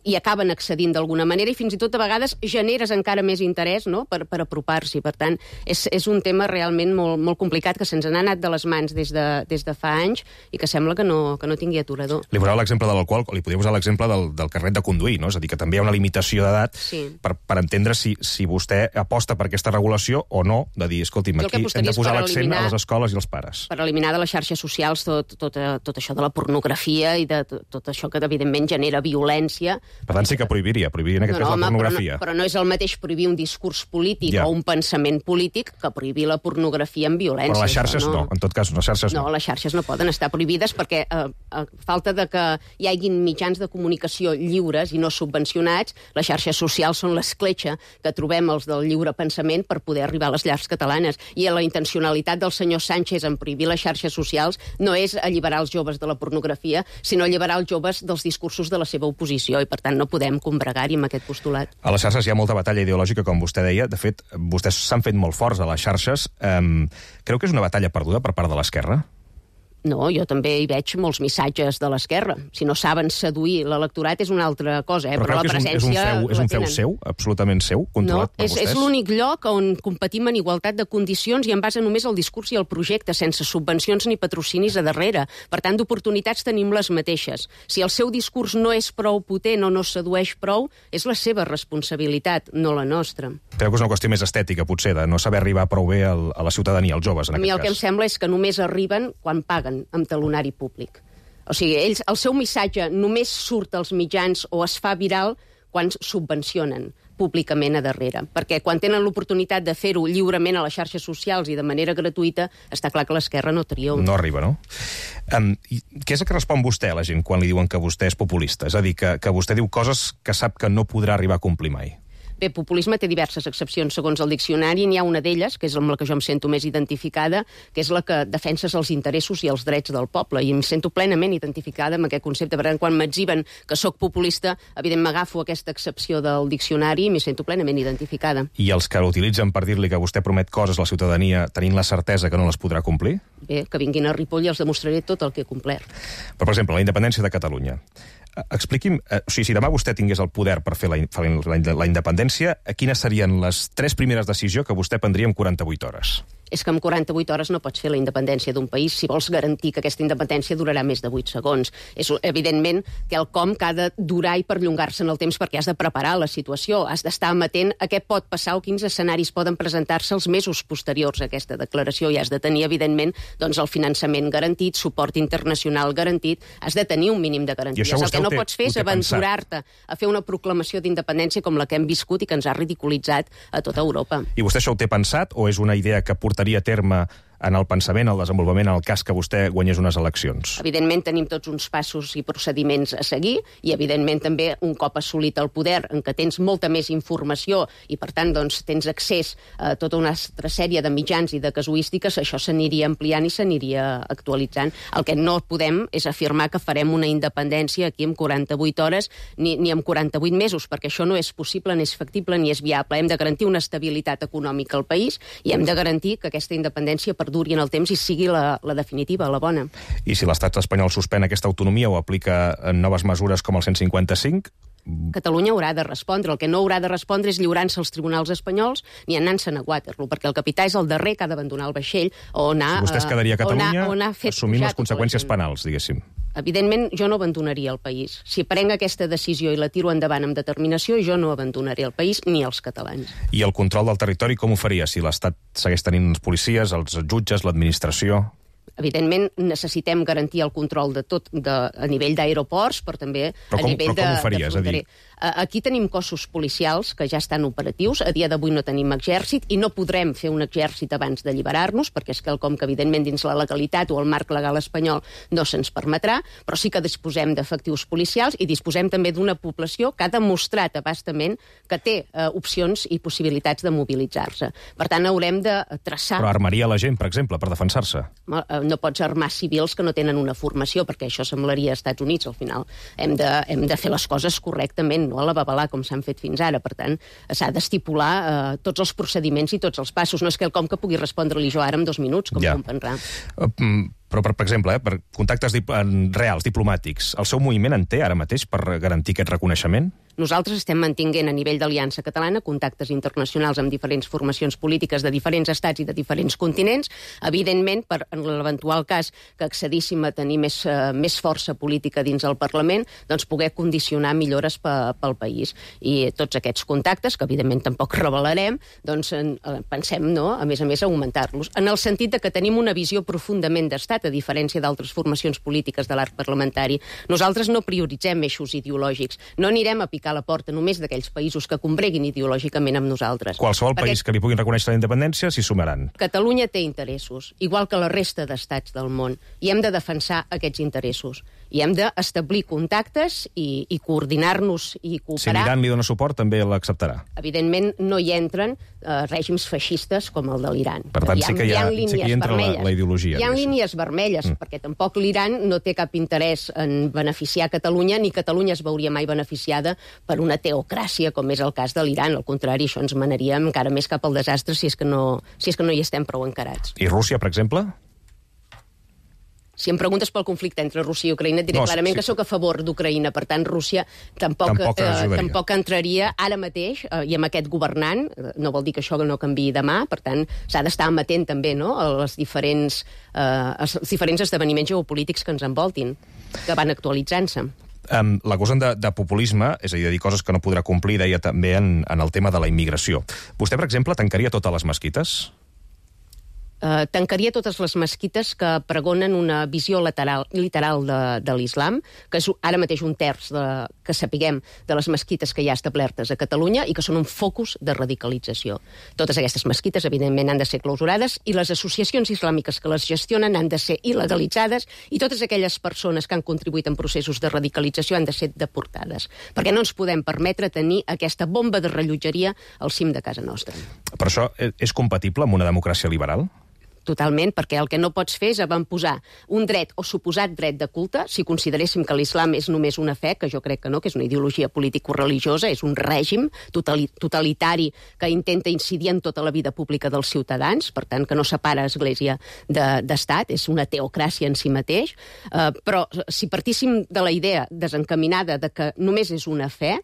hi acaben accedint d'alguna manera, i fins i tot a vegades generes encara més interès, no?, per apropar-s'hi. Per tant, és un tema realment molt, molt complicat, que se'ns n'ha anat de les mans des de fa anys i que sembla que no tingui aturador. Li posava l'exemple de l'alcohol, li podria posar l'exemple del carnet de conduir, no? És a dir, que també hi ha una limitació d'edat per entendre si vostè vostè aposta per aquesta regulació o no, de dir, escolti'm, aquí hem de posar l'accent a les escoles i als pares. Per eliminar de les xarxes socials tot això de la pornografia i de tot això que, evidentment, genera violència. Per tant, sí que prohibiria en aquest cas la pornografia. Però no és el mateix prohibir un discurs polític o un pensament polític que prohibir la pornografia amb violència. Però les xarxes no, en tot cas, les xarxes no. No, les xarxes no poden estar prohibides perquè a falta de que hi haguin mitjans de comunicació lliures i no subvencionats, les xarxes socials són l'escletxa que trobem els del lliure pensament per poder arribar a les llars catalanes. I la intencionalitat del senyor Sánchez en prohibir les xarxes socials no és alliberar els joves de la pornografia, sinó alliberar els joves dels discursos de la seva oposició, i per tant no podem combregar-hi amb aquest postulat. A les xarxes hi ha molta batalla ideològica, com vostè deia. De fet, vostès s'han fet molt forts a les xarxes. Creu que és una batalla perduda per part de l'esquerra? No, jo també hi veig molts missatges de l'esquerra. Si no saben seduir l'electorat és una altra cosa, però la presència és un feu seu, absolutament seu, controlat per vostès? És l'únic lloc on competim en igualtat de condicions i en base només al discurs i al projecte, sense subvencions ni patrocinis a darrere. Per tant, d'oportunitats tenim les mateixes. Si el seu discurs no és prou potent o no sedueix prou, és la seva responsabilitat, no la nostra. Creu que és una qüestió més estètica, potser, de no saber arribar prou bé a la ciutadania, als joves, en aquest cas? A mi el que em sembla és que només arriben quan paguen amb talonari públic. O sigui, el seu missatge només surt als mitjans o es fa viral quan subvencionen públicament a darrere. Perquè quan tenen l'oportunitat de fer-ho lliurement a les xarxes socials i de manera gratuïta, està clar que l'esquerra no triomfa. No arriba, no? Què és el que respon vostè a la gent quan li diuen que vostè és populista? És a dir, que vostè diu coses que sap que no podrà arribar a complir mai. Bé, populisme té diverses accepcions segons el diccionari, n'hi ha una d'elles, que és amb la que jo em sento més identificada, que és la que defenses els interessos i els drets del poble, i em sento plenament identificada amb aquest concepte. Per tant, quan m'etziben que sóc populista, evidentment m'agafo aquesta excepció del diccionari i m'hi sento plenament identificada. I els que l'utilitzen per dir-li que vostè promet coses a la ciutadania tenint la certesa que no les podrà complir? Bé, que vinguin a Ripoll i els demostraré tot el que he complert. Però, per exemple, la independència de Catalunya. Expliqui'm, si demà vostè tingués el poder per fer la independència, quines serien les 3 primeres decisions que vostè prendria en 48 hores? És que en 48 hores no pots fer la independència d'un país si vols garantir que aquesta independència durarà més de 8 segons. És evidentment quelcom que ha de durar i perllongar-se en el temps perquè has de preparar la situació, has d'estar amatent a què pot passar o quins escenaris poden presentar-se els mesos posteriors a aquesta declaració i has de tenir, evidentment, doncs, el finançament garantit, suport internacional garantit, has de tenir un mínim de garanties. El que no pots fer és aventurar-te a fer una proclamació d'independència com la que hem viscut i que ens ha ridiculitzat a tota Europa. I vostè això ho té pensat o és una idea que portaria a terme en el pensament, el desenvolupament, en el cas que vostè guanyés unes eleccions? Evidentment tenim tots uns passos i procediments a seguir i, evidentment, també un cop assolit el poder en què tens molta més informació i, per tant, doncs, tens accés a tota una altra sèrie de mitjans i de casuístiques, això s'aniria ampliant i s'aniria actualitzant. El que no podem és afirmar que farem una independència aquí en 48 hores ni en 48 mesos, perquè això no és possible, ni és factible, ni és viable. Hem de garantir una estabilitat econòmica al país i hem de garantir que aquesta independència duri en el temps i sigui la definitiva, la bona. I si l'estat espanyol suspèn aquesta autonomia o aplica noves mesures com el 155... Catalunya haurà de respondre. El que no haurà de respondre és lliurant-se als tribunals espanyols ni anant-se'n a Waterloo, perquè el capità és el darrer que ha d'abandonar el vaixell o anar... Si vostè es quedaria a Catalunya assumint les conseqüències penals, diguéssim. Evidentment, jo no abandonaria el país. Si prenc aquesta decisió i la tiro endavant amb determinació, jo no abandonaré el país ni els catalans. I el control del territori com ho faria si l'Estat segueix tenint els policies, els jutges, l'administració? Evidentment, necessitem garantir el control de tot a nivell d'aeroports, però també a nivell de fronterer. Aquí tenim cossos policials que ja estan operatius. A dia d'avui no tenim exèrcit i no podrem fer un exèrcit abans d'alliberar-nos, perquè és quelcom que, evidentment, dins la legalitat o el marc legal espanyol no se'ns permetrà, però sí que disposem d'efectius policials i disposem també d'una població que ha demostrat abastament que té opcions i possibilitats de mobilitzar-se. Per tant, haurem de traçar... Però armaria la gent, per exemple, per defensar-se? No pots armar civils que no tenen una formació, perquè això semblaria als Estats Units, al final. Hem de fer les coses correctament, no a la babalà, com s'han fet fins ara. Per tant, s'ha d'estipular tots els procediments i tots els passos. No és quelcom que pugui respondre-li jo ara en 2 minuts, com comprendrà. Però, per exemple, per contactes reals, diplomàtics, el seu moviment en té ara mateix per garantir aquest reconeixement? Nosaltres estem mantinguent a nivell d'Aliança Catalana contactes internacionals amb diferents formacions polítiques de diferents estats i de diferents continents, evidentment, per en l'eventual cas que accedíssim a tenir més força política dins el Parlament, doncs poder condicionar millores pel país. I tots aquests contactes, que evidentment tampoc revelarem, doncs pensem, no?, a més, augmentar-los. En el sentit de que tenim una visió profundament d'estat, a diferència d'altres formacions polítiques de l'arc parlamentari. Nosaltres no prioritzem eixos ideològics. No anirem a picar la porta només d'aquells països que combreguin ideològicament amb nosaltres. Qualsevol país que li puguin reconèixer la independència s'hi sumaran. Catalunya té interessos, igual que la resta d'estats del món, i hem de defensar aquests interessos. I hem d'establir contactes i coordinar-nos i cooperar. Si l'Iran li dona suport, també l'acceptarà. Evidentment, no hi entren règims feixistes com el de l'Iran. Per tant, sí que hi entra la ideologia. Hi ha línies vermelles, perquè tampoc l'Iran no té cap interès en beneficiar Catalunya, ni Catalunya es veuria mai beneficiada per una teocràcia, com és el cas de l'Iran. Al contrari, això ens manaria encara més cap al desastre si és que no hi estem prou encarats. I Rússia, per exemple? Si em preguntes pel conflicte entre Rússia i Ucraïna, diré clarament que sóc a favor d'Ucraïna. Per tant, Rússia tampoc entraria ara mateix, i amb aquest governant, no vol dir que això no canviï demà, per tant, s'ha d'estar amatent també, no?, als diferents esdeveniments geopolítics que ens envoltin, que van actualitzant-se. L'acusen de populisme, és a dir, de dir coses que no podrà complir, deia també en el tema de la immigració. Vostè, per exemple, tancaria totes les mesquites? Tancaria totes les mesquites que pregonen una visió literal de l'islam, que és ara mateix un terç que sapiguem de les mesquites que hi ha establertes a Catalunya i que són un focus de radicalització. Totes aquestes mesquites, evidentment, han de ser clausurades i les associacions islàmiques que les gestionen han de ser il·legalitzades i totes aquelles persones que han contribuït en processos de radicalització han de ser deportades, perquè no ens podem permetre tenir aquesta bomba de rellotgeria al cim de casa nostra. Però això és compatible amb una democràcia liberal? Totalment, perquè el que no pots fer és avantposar un dret o suposat dret de culte, si consideréssim que l'islam és només una fe, que jo crec que no, que és una ideologia político-religiosa, és un règim totalitari que intenta incidir en tota la vida pública dels ciutadans, per tant, que no separa església d'estat, és una teocràcia en si mateix, però si partíssim de la idea desencaminada de que només és una fe,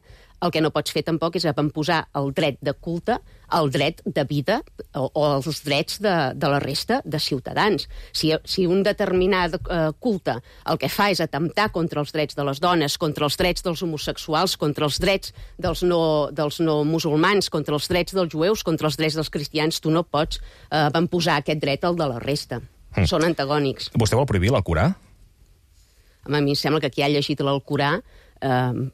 el que no pots fer tampoc és avantposar el dret de culte al dret de vida o als drets de la resta de ciutadans. Si un determinat culte el que fa és atemptar contra els drets de les dones, contra els drets dels homosexuals, contra els drets dels no musulmans, contra els drets dels jueus, contra els drets dels cristians, tu no pots avantposar aquest dret al de la resta. Són antagònics. Vostè vol prohibir l'Alcorà? A mi em sembla que qui ha llegit l'Alcorà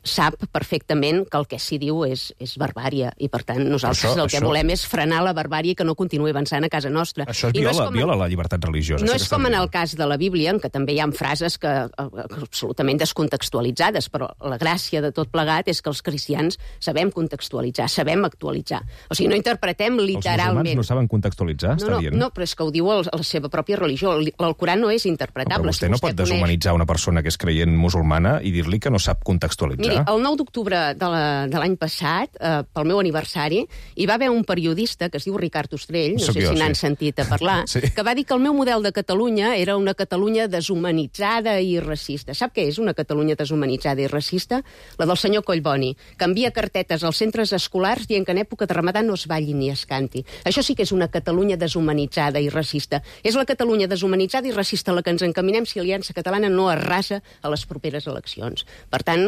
sap perfectament que el que s'hi diu és barbària, i per tant nosaltres el que volem és frenar la barbària i que no continuï avançant a casa nostra. Això viola la llibertat religiosa. No és com en el cas de la Bíblia, en què també hi ha frases absolutament descontextualitzades, però la gràcia de tot plegat és que els cristians sabem contextualitzar, sabem actualitzar. O sigui, no interpretem literalment. Els musulmans no saben contextualitzar, està dient? No, però és que ho diu la seva pròpia religió. L'Alcorà no és interpretable. Però vostè no pot deshumanitzar una persona que és creient musulmana i dir-li que no sap contextualitzar. Miri, el 9 d'octubre de l'any passat, pel meu aniversari, hi va haver un periodista que es diu Ricard Ostrell, no sé si n'han sentit a parlar, que va dir que el meu model de Catalunya era una Catalunya deshumanitzada i racista. Sap què és una Catalunya deshumanitzada i racista? La del senyor Collboni, que envia cartetes als centres escolars dient que en època de Ramadà no es balli ni es canti. Això sí que és una Catalunya deshumanitzada i racista. És la Catalunya deshumanitzada i racista a la que ens encaminem si Aliança Catalana no arrasa a les properes eleccions. Per tant,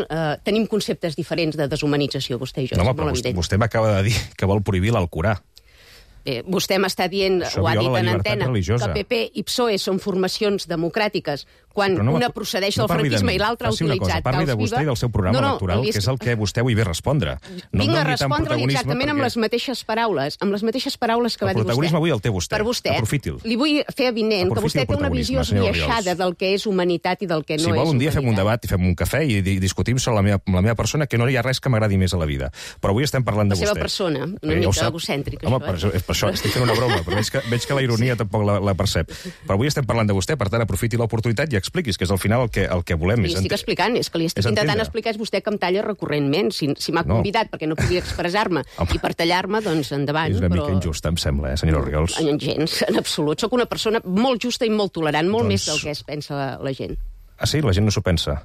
tenim conceptes diferents de deshumanització, vostè i jo. No, però vostè m'acaba de dir que vol prohibir l'Alcorà. Vostè m'està dient, ho ha dit en antena, que PP i PSOE són formacions democràtiques quan una procedeix del franquisme i l'altra ha utilitzat Parli de vostè i del seu programa electoral, que és el que vostè avui ve a respondre. Vinc a respondre-li exactament amb les mateixes paraules que va dir vostè. El protagonisme avui el té vostè. Per vostè, aprofiti'l. Li vull fer avinent que vostè té una visió esbiaixada del que és humanitat i del que no és humanitat. Si vol, un dia fem un debat i fem un cafè i discutim sobre la meva persona, que no hi ha res que m'agradi més a la vida. Però avui estem parlant de vostè. La seva persona, una mica egocèntrica. Home, per això estic fent una broma, però veig que la ironia tampoc la percep. Però avui estem parlant de vostè, per tant, aprofiti l'oportunitat i expliquis, que és al final el que volem. Li estic explicant, és que li estic intentant explicar, és vostè que em talla recurrentment. Si m'ha convidat perquè no podia expressar-me i per tallar-me, doncs endavant. És una mica injusta, em sembla, senyora Orriols. Gens, en absolut. Soc una persona molt justa i molt tolerant, molt més del que es pensa la gent. Ah, sí? La gent no s'ho pensa?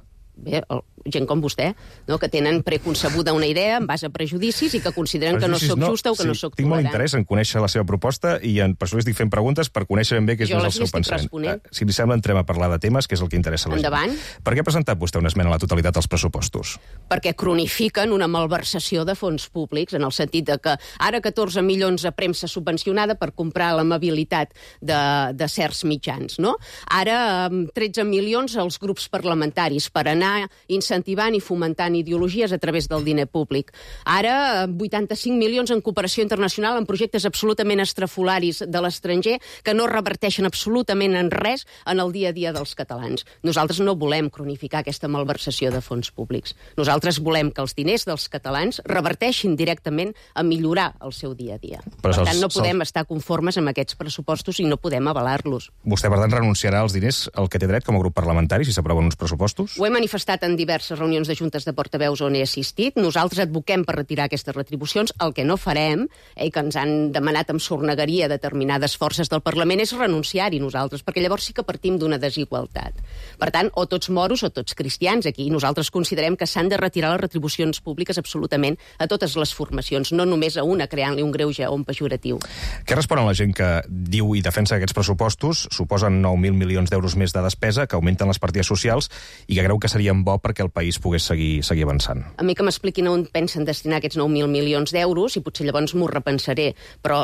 gent com vostè, que tenen preconcebuda una idea en base a prejudicis i que consideren que no sóc justa o que no sóc tolerant. Tinc molt interès en conèixer la seva proposta i per això li estic fent preguntes per conèixer ben bé què és el seu pensament. Si li sembla, entrem a parlar de temes, que és el que interessa a la gent. Endavant. Per què ha presentat vostè una esmena a la totalitat als pressupostos? Perquè cronifiquen una malversació de fons públics, en el sentit de que ara 14 milions a premsa subvencionada per comprar l'amabilitat de certs mitjans, no? Ara 13 milions als grups parlamentaris per anar incentivant i fomentant ideologies a través del diner públic. Ara 85 milions en cooperació internacional en projectes absolutament estrafolaris de l'estranger que no reverteixen absolutament en res en el dia a dia dels catalans. Nosaltres no volem cronificar aquesta malversació de fons públics. Nosaltres volem que els diners dels catalans reverteixin directament a millorar el seu dia a dia. Per tant, no podem estar conformes amb aquests pressupostos i no podem avalar-los. Vostè, per tant, renunciarà als diners al que té dret com a grup parlamentari si s'aproven uns pressupostos? Ho he manifestat en diverses reunions de juntes de portaveus on he assistit. Nosaltres advoquem per retirar aquestes retribucions. El que no farem, que ens han demanat amb sornegueria determinades forces del Parlament, és renunciar-hi nosaltres, perquè llavors sí que partim d'una desigualtat. Per tant, o tots moros o tots cristians. Aquí nosaltres considerem que s'han de retirar les retribucions públiques absolutament a totes les formacions, no només a una, creant-li un greuge o un pejoratiu. Què respon a la gent que diu i defensa que aquests pressupostos suposen 9.000 milions d'euros més de despesa, que augmenten les partides socials i que creu que serien bo perquè el país pogués seguir avançant? A mi que m'expliquin on pensen destinar aquests 9.000 milions d'euros i potser llavors m'ho repensaré, però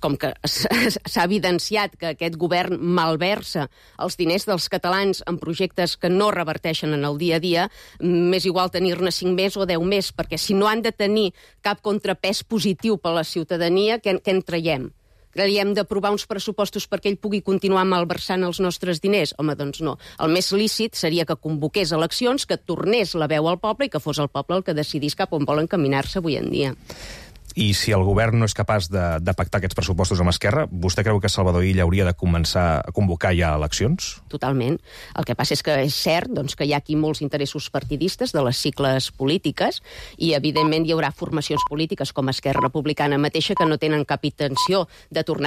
com que s'ha evidenciat que aquest govern malversa els diners dels catalans en projectes que no reverteixen en el dia a dia, m'és igual tenir-ne 5 més o 10 més, perquè si no han de tenir cap contrapès positiu per a la ciutadania, què en traiem? Creiem d'aprovar uns pressupostos perquè ell pugui continuar malversant els nostres diners? Home, doncs no. El més lícit seria que convoqués eleccions, que tornés la veu al poble i que fos el poble el que decidís cap on vol encaminar-se avui en dia. I si el govern no és capaç de pactar aquests pressupostos amb Esquerra, vostè creu que Salvador Illa hauria de començar a convocar ja eleccions? Totalment. El que passa és que és cert que hi ha aquí molts interessos partidistes de les cicles polítiques i, evidentment, hi haurà formacions polítiques com Esquerra Republicana mateixa que no tenen cap intenció de tornar